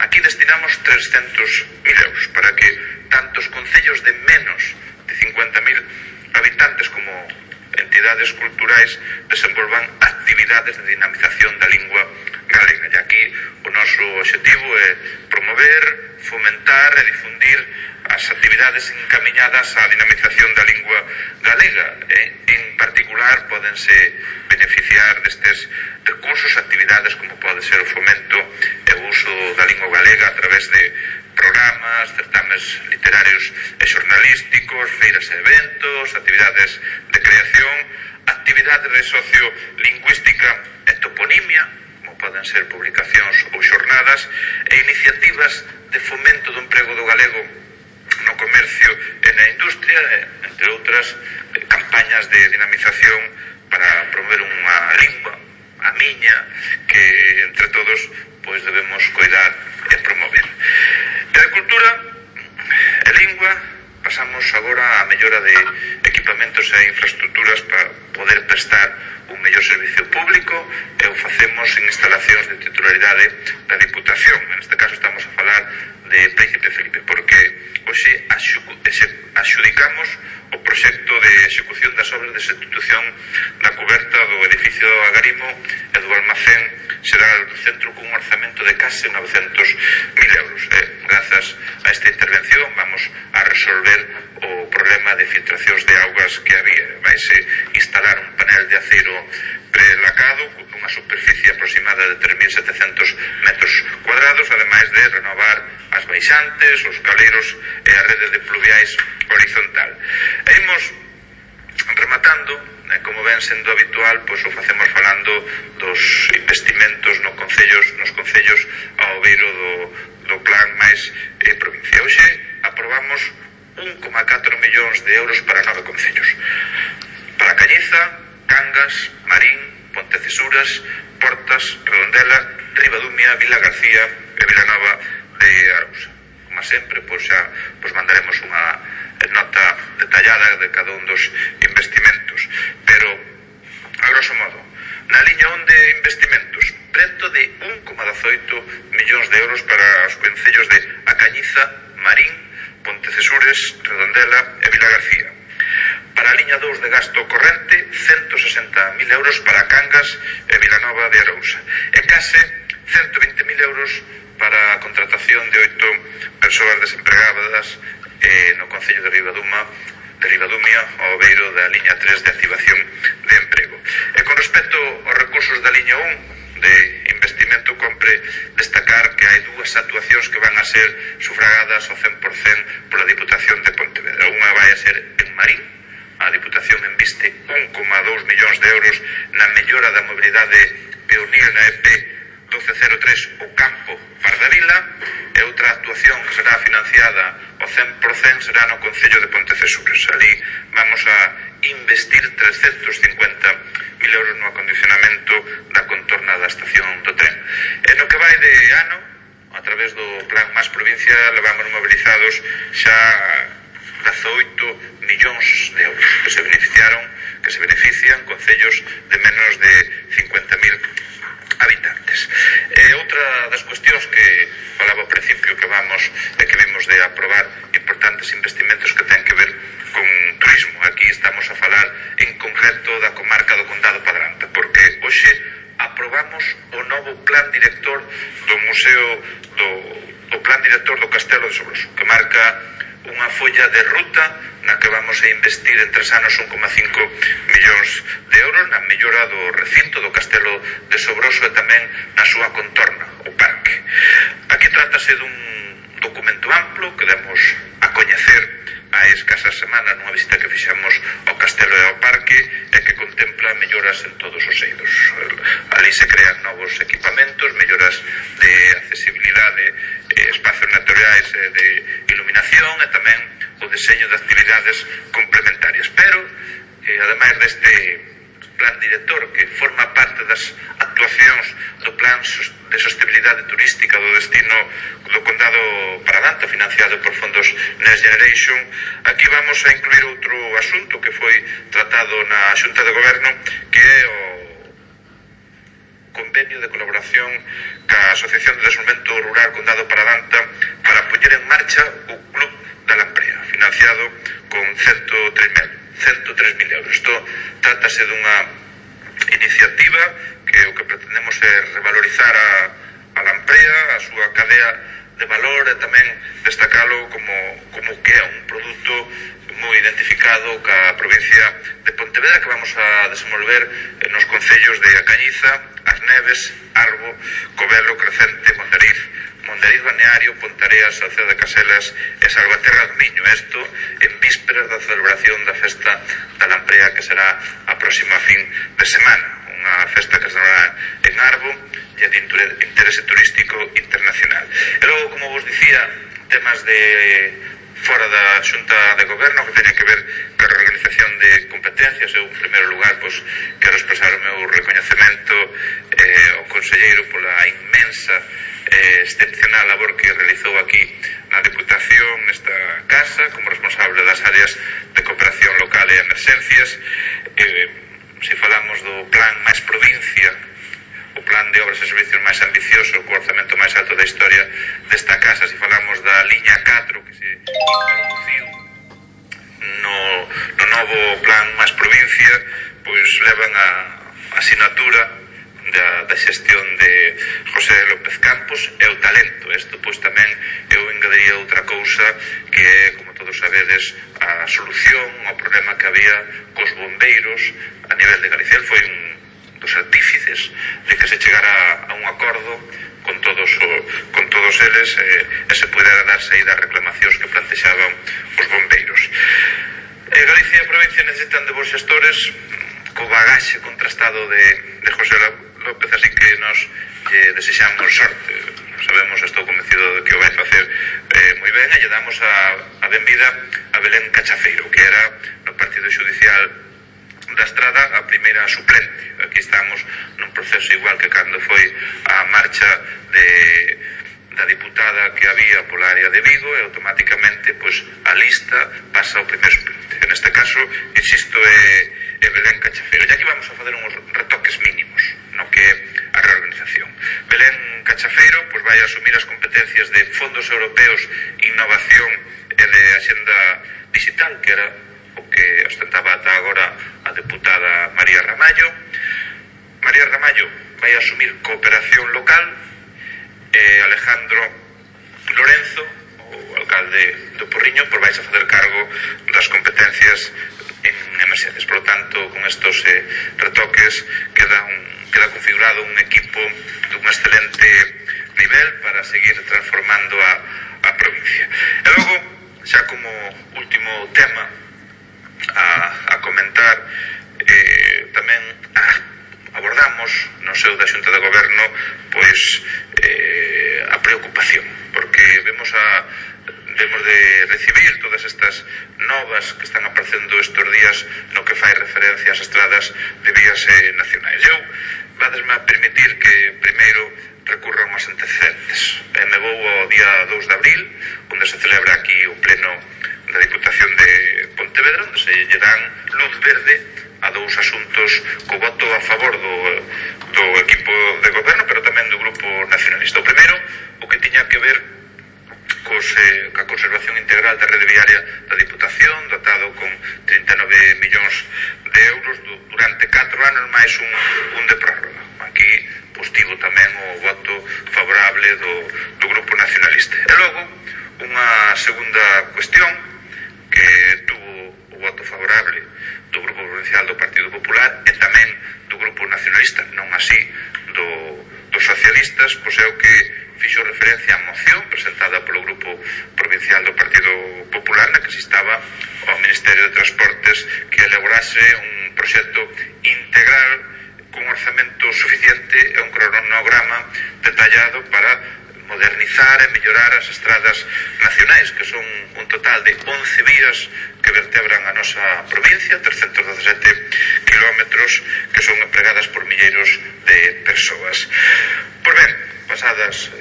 aquí destinamos 300.000 euros para que tanto os concellos de menos de 50.000 habitantes como entidades culturais desenvolvan actividades de dinamización da lingua galega. E aquí o noso objetivo é promover, fomentar e difundir as actividades encamiñadas á dinamización da lingua galega. En particular, pódense beneficiar destes recursos actividades como pode ser o fomento e o uso da lingua galega a través de programas, certames literarios e xornalísticos, feiras e eventos, actividades de creación, actividades de sociolingüística e toponimia, como poden ser publicacións ou xornadas, e iniciativas de fomento do emprego do galego no comercio e na industria, entre outras campañas de dinamización para promover unha lingua, a miña, que entre todos pois debemos coidar e promover. E de cultura e lingua pasamos agora á mellora de equipamentos e infraestructuras para poder prestar un mellor servicio público, e o facemos en instalacións de titularidade da Diputación. En este caso estamos a falar de Príncipe Felipe, porque hoxe axudicamos o proxecto de execución das obras de substitución da cuberta do edificio do Agarimo e do almacén xeral do centro cun orzamento de case 900.000 euros. Grazas a esta intervención vamos a resolver o problema de filtracións de augas que había. Vaise instalar un panel de acero prelacado con unha superficie aproximada de 3.700 metros cuadrados, ademais de renovar as baixantes, os caleiros e a rede de pluviais horizontal. E imos rematando, como ven sendo habitual, pois o facemos falando dos investimentos nos concellos ao beiro do plan máis provincia. Hoxe aprobamos 1,4 millóns de euros para 9 concellos. Para Cañiza, Cangas, Marín, Pontecesuras, Portas, Redondela, Ribadumia, Vila García e Vilanova de Arousa. Como sempre, pois xa mandaremos unha nota detallada de cada un dos investimentos, pero a grosso modo, na liña 1 de investimentos, preto de 1,18 millóns de euros para os concellos de A Cañiza, Marín, Pontecesures, Redondela e Vila García. Para a liña 2 de gasto corrente, 160.000 euros para Cangas e Vilanova de Arousa. E case 120.000 euros para a contratación de 8 persoas desempregadas no Concello de Ribadumia, ao beiro da liña 3 de activación de emprego. E con respecto aos recursos da liña 1 de investimento, compre destacar que hai dúas actuacións que van a ser sufragadas ao 100% pola Diputación de Pontevedra. Unha vai a ser en Marín. A Diputación inviste 1,2 millóns de euros na mellora da mobilidade peonil na EP 1203 o Campo Pardavila, e outra actuación que será financiada ao 100% será no Concello de Pontecesures. Ali vamos a investir 350.000 euros no acondicionamento da contorna da estación do tren. E no que vai de ano, a través do Plan Más Provincia, levamos mobilizados xa 18 millóns de euros que se benefician concellos de menos de 50.000 habitantes. Outra das cuestións que falaba ao principio que vimos de aprobar importantes investimentos que ten que ver con turismo. Aquí estamos a falar en concreto da comarca do Condado Padranta, porque hoxe aprobamos o novo plan director do Museo do Plan Director do Castelo de Sobroso, que marca unha folla de ruta na que vamos a investir en 3 anos 1,5 millóns de euros na mellora do recinto do Castelo de Sobroso e tamén na súa contorna, o parque. Aquí trátase dun documento amplo que demos a coñecer a escasas semanas nunha visita que fixamos ao Castelo e ao parque, e que contempla melloras en todos os eidos. Ali se crean novos equipamentos, melloras de accesibilidade, espacios naturais e de iluminación, e tamén o deseño de actividades complementarias. Pero, ademais deste plan director que forma parte das actuacións do plan de sostenibilidade turística do destino do Condado Paradanta, financiado por fondos Next Generation, aquí vamos a incluir outro asunto que foi tratado na Xunta de Goberno, que é o convenio de colaboración ca Asociación de Desenvolvemento Rural Condado Paradanta para poñer en marcha o Club da Lamprea, financiado con 103.000 euros. Isto trátase dunha iniciativa que o que pretendemos é revalorizar a Lamprea, a súa cadea de valor, e tamén destacalo como que é un produto moi identificado ca provincia de Pontevedra, que vamos a desenvolver nos concellos de A Cañiza, As Neves, Arbo, Covelo, Crecente, Mondariz Balneario, Pontareas, Salceda de Caselas e Salvaterra do Miño. Isto en vísperas da celebración da festa da Lamprea, que será a próxima fin de semana, unha festa que será en Arbo e de interese turístico internacional. E logo, como vos dicía, temas de fora da Xunta de Goberno que teñen que ver ca reorganización de competencias. Eu, en primeiro lugar, quero expresar o meu recoñecemento ao conselleiro pola inmensa excepcional labor que realizou aquí na Diputación, nesta casa, como responsable das áreas de cooperación local e emerxencias. Se falamos do plan Máis Provincia, o plan de obras e servicios máis ambicioso, co orzamento máis alto da historia desta casa, se falamos da liña 4 que se introduciu no novo plan Máis Provincia, pois levan a asinatura da xestión de José López Campos e o talento. Isto pois tamén eu engadiría outra cousa que é, como todos sabedes, a solución ao problema que había cos bombeiros a nivel de Galicia. Foi un dos artífices de que se chegara a un acordo con todos eles e se pudera dar saída ás reclamacións que plantexaban os bombeiros. Galicia e a provincia necesitan de bons xestores co bagaxe contrastado de José López, así que nos desexamos sorte. Sabemos, estou convencido de que o vai facer moi ben, e lle damos a benvida a Belén Cachafeiro, que era no Partido Xudicial da Estrada a primeira suplente. Aquí estamos nun proceso igual que cando foi a marcha da diputada que había pola área de Vigo, e automáticamente pois a lista pasa ao primeiro suplente. En este caso, insisto, é Belén Cachafeiro. E aquí vamos a fazer uns retoques mínimos no que é a reorganización. Belén Cachafeiro pois vai asumir as competencias de fondos europeos, innovación e de axenda digital, que era o que ostentaba ata agora a deputada María Ramallo. María Ramallo vai asumir cooperación local e Alejandro Lorenzo, o alcalde do Porriño, pois vais a facer cargo das competencias en emerxencias. Por lo tanto, con estos retoques queda configurado un equipo dun excelente nivel para seguir transformando a provincia. E logo, xa como último tema a comentar, tamén abordamos no seo da Xunta de Goberno pois a preocupación, porque vemos de recibir todas estas novas que están aparecendo estes días no que fai referencia ás estradas de vías nacionais. Eu vadesme a permitir que primeiro recurran aos antecedentes. Me vou ao día 2 de abril, onde se celebra aquí o pleno da Diputación de Pontevedra, onde se lle dan luz verde a dous asuntos co voto a favor do equipo de goberno, pero tamén do grupo nacionalista. O primeiro, o que tiña que ver ca conservación integral da rede viaria da Diputación, dotado con 39 millóns de euros durante 4 anos máis un de prórroga. Aquí tivo tamén o voto favorable do grupo nacionalista. E logo, unha segunda cuestión que tuvo o voto favorable do grupo provincial do Partido Popular e tamén do grupo nacionalista, non así dos socialistas, pois é o que fixo referencia á moción presentada polo grupo provincial do Partido Popular, na que se instaba ao Ministerio de Transportes que elaborase un proxecto integral con un orzamento suficiente e un cronograma detallado para modernizar e mellorar as estradas nacionais, que son un total de 11 vías que vertebran a nosa provincia, 317 kilómetros, que son empregadas por milleiros de persoas. Pois ben, pasadas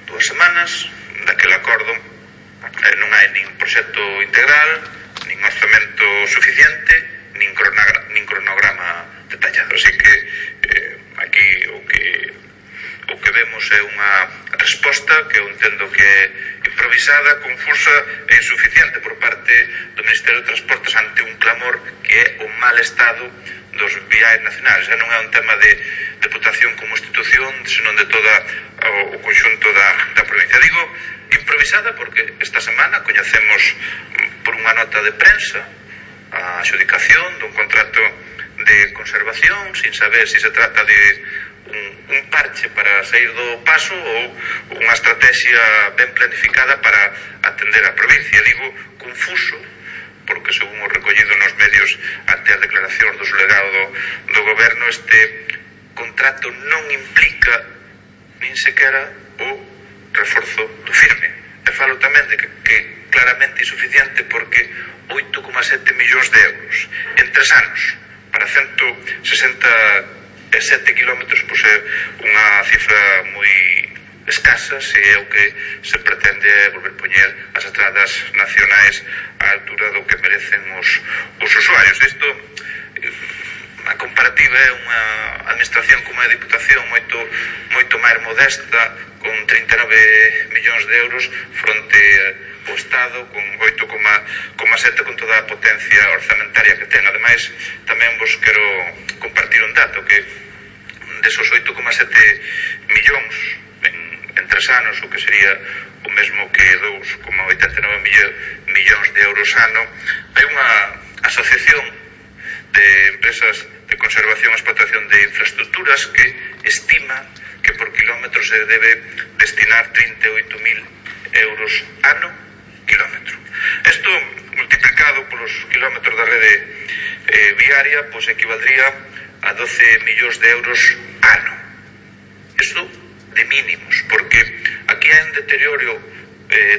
2 semanas daquele acordo, non hai nin proxecto integral, nin orzamento suficiente, nin cronograma detallado. Así que aquí o que vemos é unha resposta que eu entendo que é improvisada, confusa e insuficiente por parte do Ministerio de Transportes ante un clamor que é o mal estado dos viais nacionais. Non é un tema de Deputación como institución, senón de todo o conxunto da provincia. Digo improvisada porque esta semana coñecemos por unha nota de prensa a adxudicación dun contrato de conservación sin saber se trata de un parche para sair do paso ou unha estrategia ben planificada para atender a provincia. Digo confuso porque, según o recollido nos medios ante as declaracións do delegado do goberno, este contrato non implica nin sequera o reforzo do firme. E falo tamén de que claramente insuficiente porque 8,7 millóns de euros en 3 anos para 167 kilómetros, pois é unha cifra moi escasa se é o que se pretende volver poñer as estradas nacionais á altura do que merecen os usuarios. Isto, a comparativa é unha administración como a Diputación moito máis modesta, con 39 millóns de euros fronte ao Estado con 8,7 con toda a potencia orzamentaria que ten. Ademais, tamén vos quero compartir un dato que desos 8,7 millóns en 3 anos, o que sería o mesmo que 2,89 millóns de euros ano, hai unha asociación de empresas de conservación e explotación de infraestructuras que estima que por kilómetro se debe destinar 38.000 euros ano kilómetro. Isto multiplicado polos kilómetros da rede viaria, pois equivaldría a 12 millóns de euros ano. Isto de mínimos, porque aquí hai un deterioro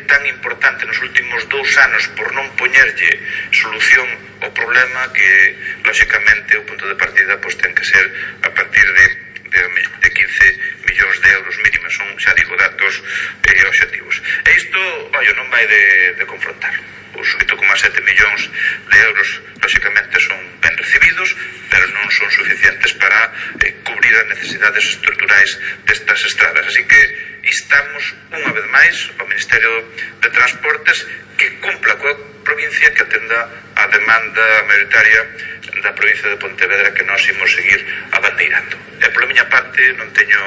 tan importante nos últimos 2 anos por non poñerlle solución ao problema que, lóxicamente, o punto de partida pois ten que ser a partir de 15 millóns de euros mínimos. Son, xa digo, datos obxectivos. E isto, non vai de confrontar. Os 8,7 millóns de euros, lóxicamente, son ben recibidos, pero non son suficientes para cubrir as necesidades dificultades estruturais destas estradas. Así que instamos unha vez máis ao Ministerio de Transportes que cumpla coa provincia, que atenda a demanda mayoritaria da provincia de Pontevedra, que nós imos seguir abandeirando. E pola miña parte non teño...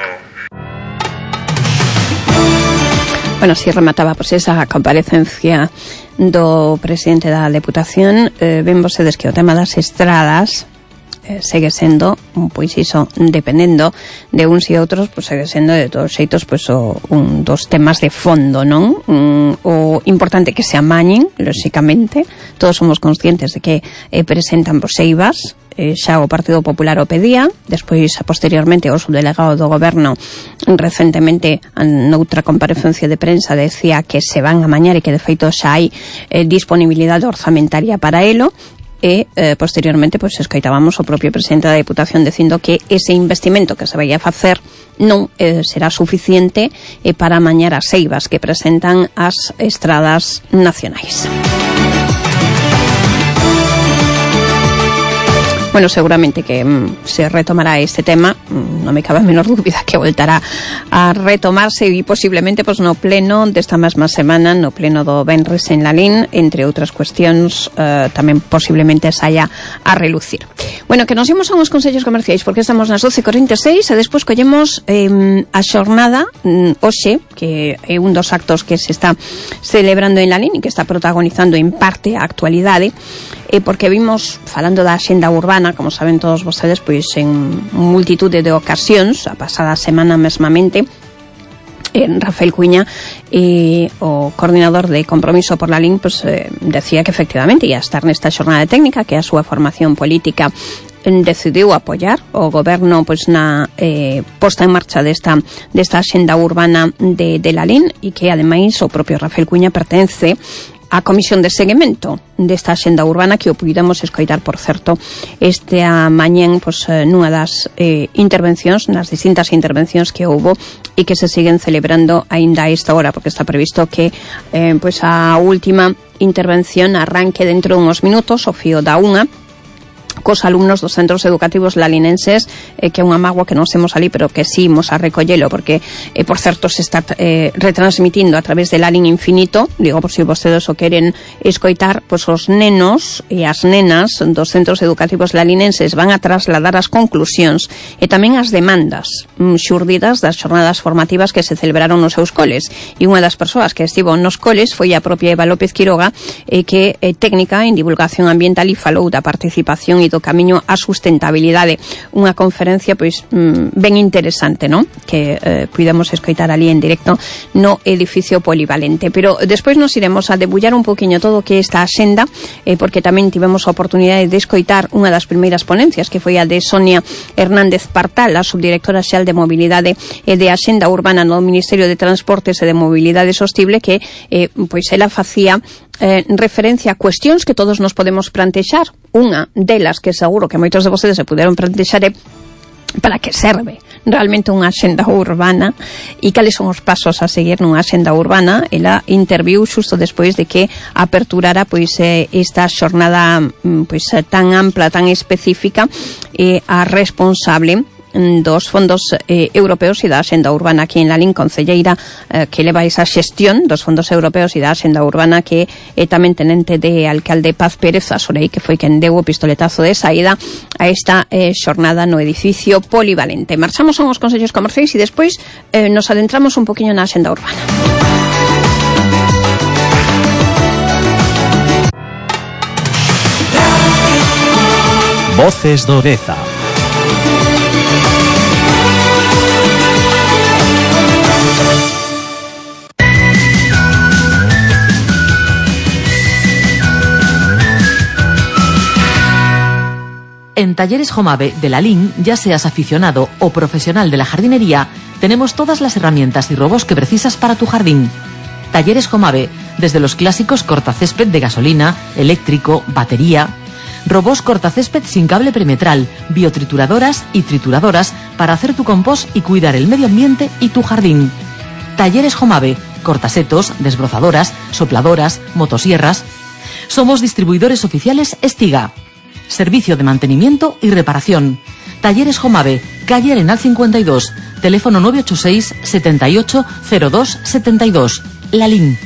Bueno, si remataba pues esa comparecencia do presidente da Deputación. Ven vostedes que o tema das estradas segue sendo, pois iso, dependendo de uns e outros, pois segue sendo de todos xeitos pois un dos temas de fondo, non? O importante que se amañen, lóxicamente, todos somos conscientes de que presentan pois eivas, xa o Partido Popular o pedía, despois posteriormente o subdelegado do Goberno recentemente noutra comparecencia de prensa decía que se van a amañar e que de feito xa hai disponibilidade orzamentaria para elo. E posteriormente pois escoitábamos o propio presidente da Deputación dicindo que ese investimento que se vai a facer non será suficiente para amañar as eivas que presentan as estradas nacionais. Bueno, seguramente que se retomará este tema, non me cabe a menor dúbida que voltará a retomarse e posiblemente pois no pleno desta mesma semana, no pleno do venres en Lalín, entre outras cuestións, tamén posiblemente saia a relucir. Bueno, que nos imos a uns consellos comerciais porque estamos nas 12:46 e despois collemos a xornada hoxe, que é un dos actos que se está celebrando en Lalín e que está protagonizando en parte a actualidade, porque vimos, falando da axenda urbana, como saben todos vostedes, pois en multitude de ocasións, a pasada semana mesmamente, Rafael Cuña, o coordinador de Compromiso por Lalín, pues, decía que efectivamente ia estar nesta xornada técnica, que a súa formación política decidiu apoiar o goberno pois na posta en marcha desta axenda urbana de Lalín, e que ademais o propio Rafael Cuña pertence a comisión de seguimento desta axenda urbana, que o puidamos escoitar, por certo, esta mañén pois, nunha das intervencións, nas distintas intervencións que houbo e que se siguen celebrando aínda a esta hora, porque está previsto que pois a última intervención arranque dentro de uns minutos, o fío da unha, cos alumnos dos centros educativos lalinenses, que é unha mágoa que non semos ali, pero que sí imos a recollelo, porque, por certo, se está retransmitindo a través de Lalín Infinito, digo, por si vostedes o queren escoitar, pois os nenos e as nenas dos centros educativos lalinenses van a trasladar as conclusións e tamén as demandas xurdidas das xornadas formativas que se celebraron nos seus coles, e unha das persoas que estivo nos coles foi a propia Eva López Quiroga, que é técnica en divulgación ambiental e falou da participación e do camiño á sustentabilidade, unha conferencia pois ben interesante, non? Que puidemos escoitar ali en directo no edificio polivalente. Pero despois nos iremos a debullar un poquinho todo o que é esta axenda, porque tamén tivemos a oportunidade de escoitar unha das primeiras ponencias, que foi a de Sonia Hernández Partal, a subdirectora xeral de Mobilidade e de Axenda Urbana no Ministerio de Transportes e de Mobilidade Sostible, que pois ela facía referencia a cuestións que todos nos podemos plantexar. Unha delas que seguro que moitos de vostedes se puderon plantexar é para que serve realmente unha axenda urbana e cales son os pasos a seguir nunha axenda urbana. Ela interviu xusto despois de que aperturara pois esta xornada pois tan ampla, tan específica, a responsable dos fondos europeos e da axenda urbana aquí en Lalín, concelleira que leva esa xestión dos fondos europeos e da axenda urbana, que é tamén tenente de alcalde Paz Pérez Asorei, que foi quen deu o pistoletazo de saída a esta xornada no edificio polivalente. Marchamos a uns consellos comerciais e despois nos adentramos un poquinho na axenda urbana. Voces do Deza. En Talleres Jomave de Lalín, ya seas aficionado o profesional de la jardinería, tenemos todas las herramientas y robos que precisas para tu jardín. Talleres Jomave, desde los clásicos cortacésped de gasolina, eléctrico, batería, robos cortacésped sin cable perimetral, biotrituradoras y trituradoras para hacer tu compost y cuidar el medio ambiente y tu jardín. Talleres Jomave, cortasetos, desbrozadoras, sopladoras, motosierras. Somos distribuidores oficiales Estiga. Servicio de mantenimiento y reparación. Talleres Jomave, calle Arenal 52, teléfono 986 78 02 72. Lalín.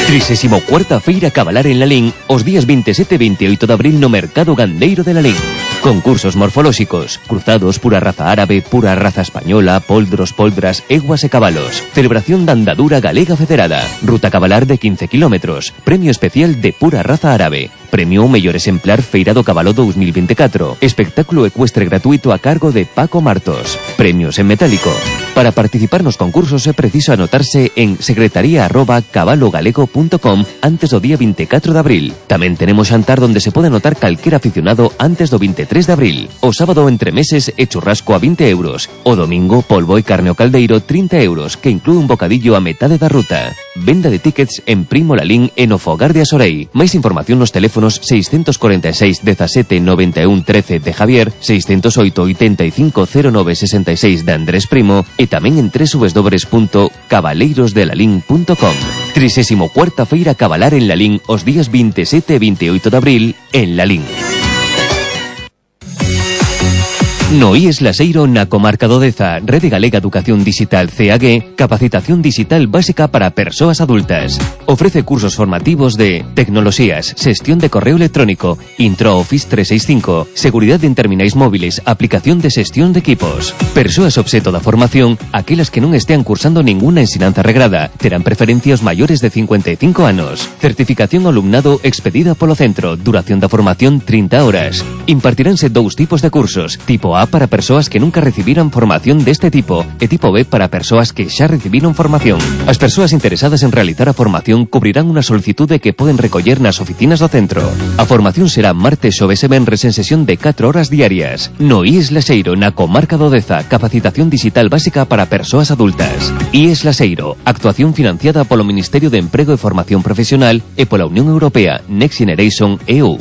34ª Feira Cabalar en Lalín os días 27 e 28 de abril no Mercado Gandeiro de Lalín. Concursos morfolóxicos, cruzados, pura raza árabe, pura raza española, poldros, poldras, eguas e cabalos. Celebración da andadura galega federada. Ruta cabalar de 15 kilómetros. Premio especial de pura raza árabe. Premio ao mellor exemplar Feira do Cabalo 2024. Espectáculo ecuestre gratuito a cargo de Paco Martos. Premios en metálico. Para participar nos concursos é preciso anotarse en secretaría@cabalogalego.com antes do día 24 de abril. Tamén tenemos xantar donde se pode anotar calquer aficionado antes do 23 de abril. O sábado entre meses e churrasco a 20 euros. O domingo polvo e carne ao caldeiro 30 euros, que inclúe un bocadillo a metade da ruta. Venda de tickets en Primo Lalín e no Fogar de Asorei. Máis información nos teléfonos 646 17 91 13 de Javier, 608 85 09 66 de Andrés Primo e tamén en www.cabaleirosdelalín.com. 34ª Feira Cabalar en Lalín os días 27 e 28 de abril en Lalín. No IES Laseiro na comarca do Deza, Rede Galega Educación Digital CAG, capacitación digital básica para persoas adultas. Ofrece cursos formativos de tecnoloxías, xestión de correo electrónico, Intro Office 365, seguridade en terminais móviles, aplicación de xestión de equipos. Persoas obxeto da formación, aquelas que non estean cursando ninguna ensinanza regrada, terán preferencia os maiores de 55 anos. Certificación ao alumnado expedida polo centro, duración da formación 30 horas. Impartiránse dous tipos de cursos, tipo A para persoas que nunca recibiran formación deste tipo e tipo B para persoas que xa recibiron formación. As persoas interesadas en realizar a formación cubrirán unha solicitude que poden recoller nas oficinas do centro. A formación será martes, xoves e venres en sesión de 4 horas diarias. No IES Laseiro, na comarca do Deza, capacitación digital básica para persoas adultas. IES Laseiro, actuación financiada polo Ministerio de Emprego e Formación Profesional e pola Unión Europea Next Generation EU.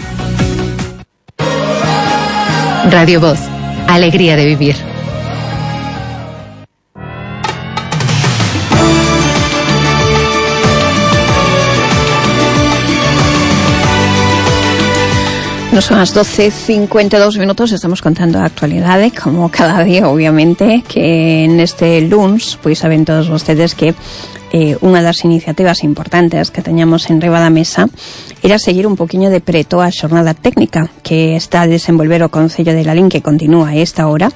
Radio Voz. Alegría de vivir. No son as 12:52 minutos, estamos contando a actualidade, como cada día, obviamente, que neste luns, pois saben todos vostedes que unha das iniciativas importantes que teñamos en riba da mesa era seguir un poquinho de preto a xornada técnica que está a desenvolver o Concello de Lalín, que continúa a esta hora,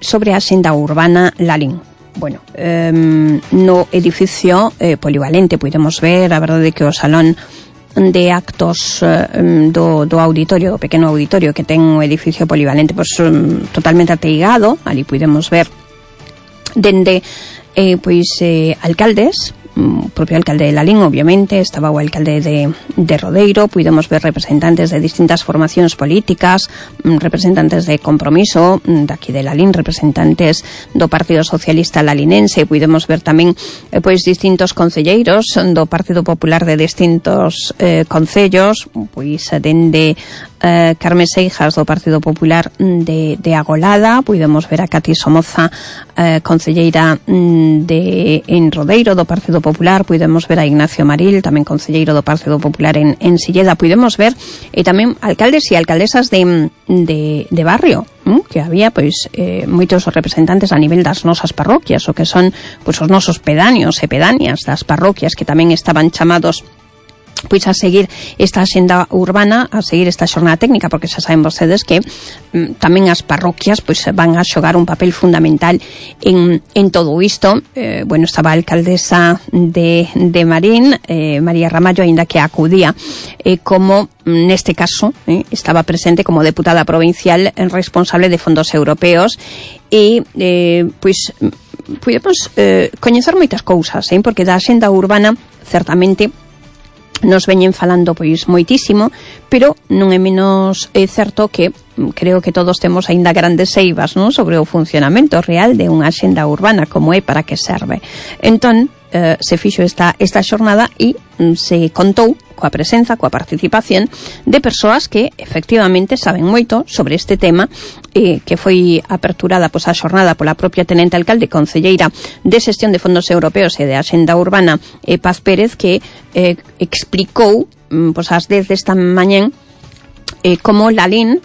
sobre a xenda urbana Lalín. Bueno, no edificio polivalente podemos ver, a verdade que o salón de actos do auditorio, do pequeno auditorio que ten o edificio polivalente, pois totalmente ateigado. Ali podemos ver dende alcaldes, o propio alcalde de Lalín, obviamente, estaba o alcalde de Rodeiro, podemos ver representantes de distintas formacións políticas, representantes de Compromiso, daqui de Lalín, representantes do Partido Socialista Lalinense, podemos ver tamén distintos concelleiros do Partido Popular de distintos concellos, dende Carme Seijas do Partido Popular de Agolada, podemos ver a Cati Somoza, concelleira en Rodeiro do Partido Popular, podemos ver a Ignacio Maril, tamén concelleiro do Partido Popular en Silleda, podemos ver tamén alcaldes e alcaldesas de barrio, que había moitos representantes a nivel das nosas parroquias, o que son os nosos pedáneos e pedáneas das parroquias, que tamén estaban chamados a seguir esta axenda urbana, a seguir esta xornada técnica, porque xa saben vostedes que tamén as parroquias van a xogar un papel fundamental en todo isto. Estaba a alcaldesa de Marín, María Ramallo, aínda que acudía como, neste caso, estaba presente como deputada provincial responsable de fondos europeos, e podemos coñecer moitas cousas, porque da axenda urbana certamente nos veñen falando moitísimo, pero non é menos certo que creo que todos temos aínda grandes eivas, non, sobre o funcionamento real de unha axenda urbana, como é, para que serve. Entón, se fixo esta xornada e se contou coa presenza, coa participación de persoas que efectivamente saben moito sobre este tema, que foi aperturada a xornada pola propia tenente alcalde, concelleira de Xestión de Fondos Europeos e de Axenda Urbana, Paz Pérez, que explicou ás 10 desta mañán como Lalín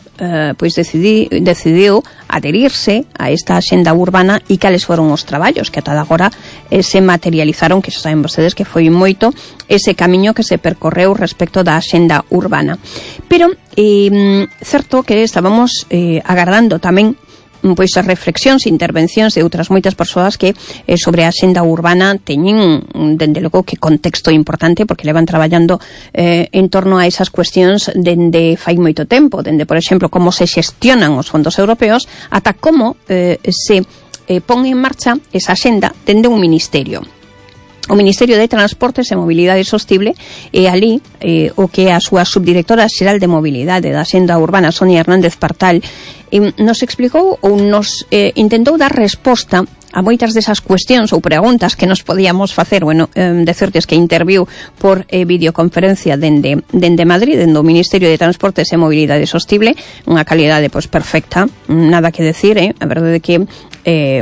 pois decidiu adherirse a esta axenda urbana e cales foron os traballos que ata agora se materializaron, que xa saben vostedes que foi moito ese camiño que se percorreu respecto da axenda urbana. Pero certo que estábamos agardando tamén pois as reflexións e intervencións de outras moitas persoas que sobre a axenda urbana teñen dende logo que contexto importante, porque levan traballando en torno a esas cuestións dende fai moito tempo, dende, por exemplo, como se xestionan os fondos europeos ata como se pon en marcha esa axenda dende un ministerio. O Ministerio de Transportes e Mobilidade Sostible e ali o que a súa subdirectora xeral de Mobilidade da Axenda Urbana, Sonia Hernández Partal, nos explicou ou nos intentou dar resposta a moitas desas cuestións ou preguntas que nos podíamos facer. Bueno, decirtes que interviu por videoconferencia dende Madrid, dende o Ministerio de Transportes e Mobilidade Sostible, unha calidade pois perfecta, nada que decir, a verdade que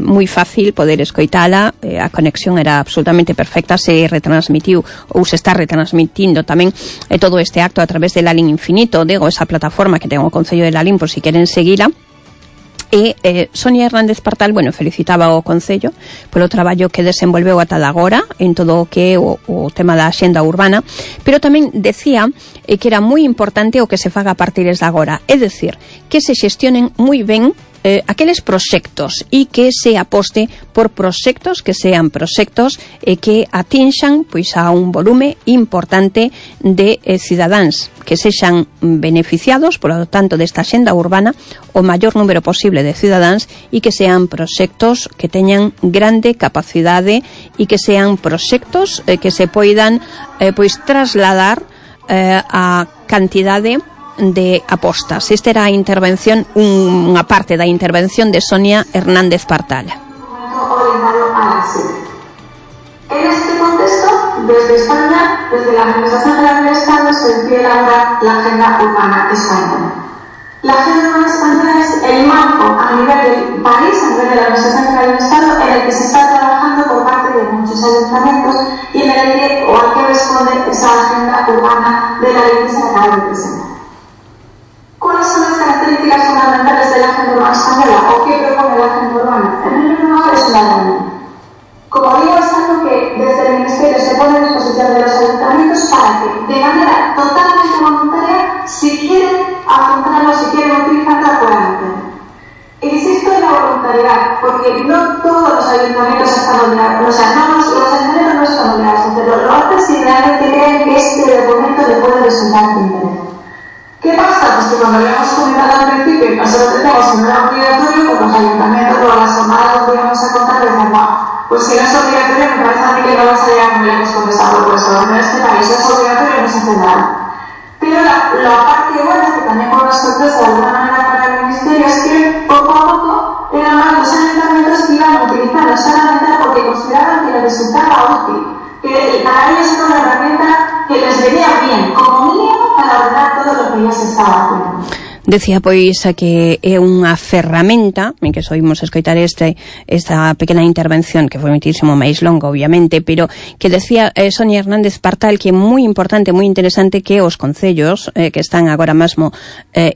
moi fácil poder escoitala, a conexión era absolutamente perfecta, se retransmitiu ou se está retransmitindo tamén todo este acto a través de Lalín Infinito, digo, esa plataforma que ten o Concello de Lalín por si queren seguila. E Sonia Hernández Partal, bueno, felicitaba o Concello polo traballo que desenvolveu ata agora en todo o que é o tema da axenda urbana, pero tamén decía que era moi importante o que se faga a partir de agora, é dicir, que se xestionen moi ben aqueles proxectos e que se aposte por proxectos que sean proxectos que atinxan pois a un volume importante de cidadáns que sexan beneficiados, por lo tanto, desta axenda urbana o maior número posible de cidadáns e que sean proxectos que teñan grande capacidade e que sean proxectos que se poidan pois trasladar a cantidade de apostas. Esta era a intervención, unha parte da intervención de Sonia Hernández Partal. En este contexto, desde España, desde la Administración General del Estado, se decide elaborar la Agenda Urbana Española. La Agenda Urbana Española es el marco a nivel del país, a nivel de la Administración General del Estado, en el que se está trabajando por parte de muchos ayuntamientos y en el que, o al que responde esa Agenda Urbana de la ley que se acaba de presentar. ¿Cuáles son las características fundamentales de la Agenda Urbana Española o qué propone la Agenda Urbana? En primer lugar, es una línea. Como digo, es algo que desde el Ministerio se pone a disposición de los ayuntamientos para que, de manera totalmente voluntaria, si quieren afrontarlo, si quieren utilizarlo, puedan hacerlo. Insisto en la voluntariedad, porque no todos los ayuntamientos están obligados, o sea, los ayuntamientos no están obligados a hacerlo. Lo hacen si realmente creen que este documento le puede resultar de interés. ¿Qué pasa? Pues que cuando habíamos comentado al principio que nosotros tenemos un gran obligatorio, pues los ayuntamientos o las jornadas donde íbamos a contar decían, pues si no es obligatorio, me parece a mí que no vas a llegar muy lejos con esta propuesta. En este país es obligatorio y no se hace nada. Pero la parte buena, que también fue una sorpresa de alguna manera para el Ministerio, es que poco a poco eran más los ayuntamientos que iban a utilizarlo solamente porque consideraban que les resultaba útil, que para ellos era una herramienta que les venía bien, como mínimo, para ordenar todo lo que ya se estaba haciendo. Decía pois que é unha ferramenta, en que soimos escoitar esta pequena intervención que foi muitísimo máis longa, obviamente, pero que decía Sonia Hernández Partal que é moi importante, moi interesante que os concellos que están agora mesmo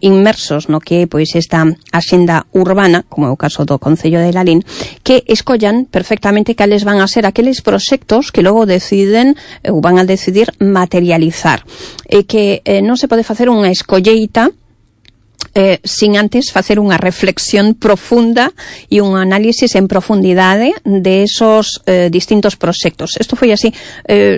inmersos no que pois esta axenda urbana, como é o caso do Concello de Lalín, que escollan perfectamente cales van a ser aqueles proxectos que logo deciden ou van a decidir materializar, e que non se pode facer unha escolleita sin antes facer unha reflexión profunda e un análisis en profundidade de esos distintos proxectos. Isto foi así,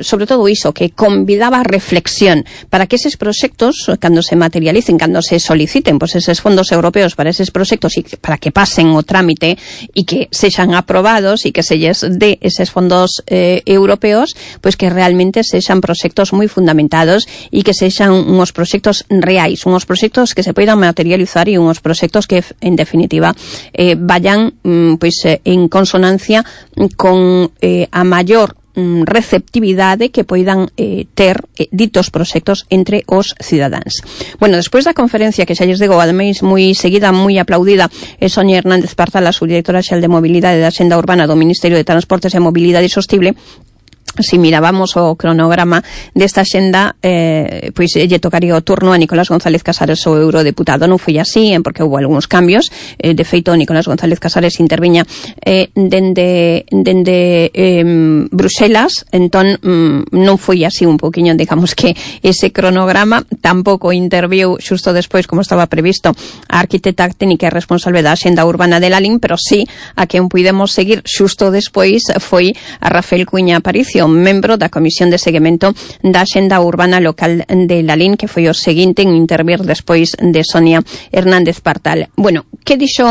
sobre todo iso, que convidaba a reflexión para que eses proxectos, cando se materialicen, cando se soliciten pois eses fondos europeos para eses proxectos e para que pasen o trámite e que sexan aprobados e que se lles dé eses fondos europeos, pois que realmente sexan proxectos moi fundamentados e que sexan uns proxectos reais, uns proxectos que se poidan materializar e unhos proxectos que, en definitiva, vayan pois en consonancia con a maior receptividade que poidan ter ditos proxectos entre os cidadáns. Bueno, despois da conferencia que xa lles digo, ademais moi seguida, moi aplaudida, Sonia Hernández Partal, a subdirectora xeral de Mobilidade da Axenda Urbana do Ministerio de Transportes e Mobilidade Sostible, si mirábamos o cronograma desta xenda, pois lle tocaría o turno a Nicolás González Casares, o eurodeputado. Non foi así, porque houve algúns cambios. De feito, Nicolás González Casares interviña dende Bruxelas, entón non foi así un poquinho, digamos que ese cronograma. Tampouco interviu xusto despois, como estaba previsto, a arquitecta técnica e responsable da Xenda Urbana de Lalín, pero sí a quen puidemos seguir xusto despois foi a Rafael Cuña Aparicio, membro da Comisión de Seguimento da Xenda Urbana Local de Lalín, que foi o seguinte en intervir despois de Sonia Hernández Partal. Bueno, que dixo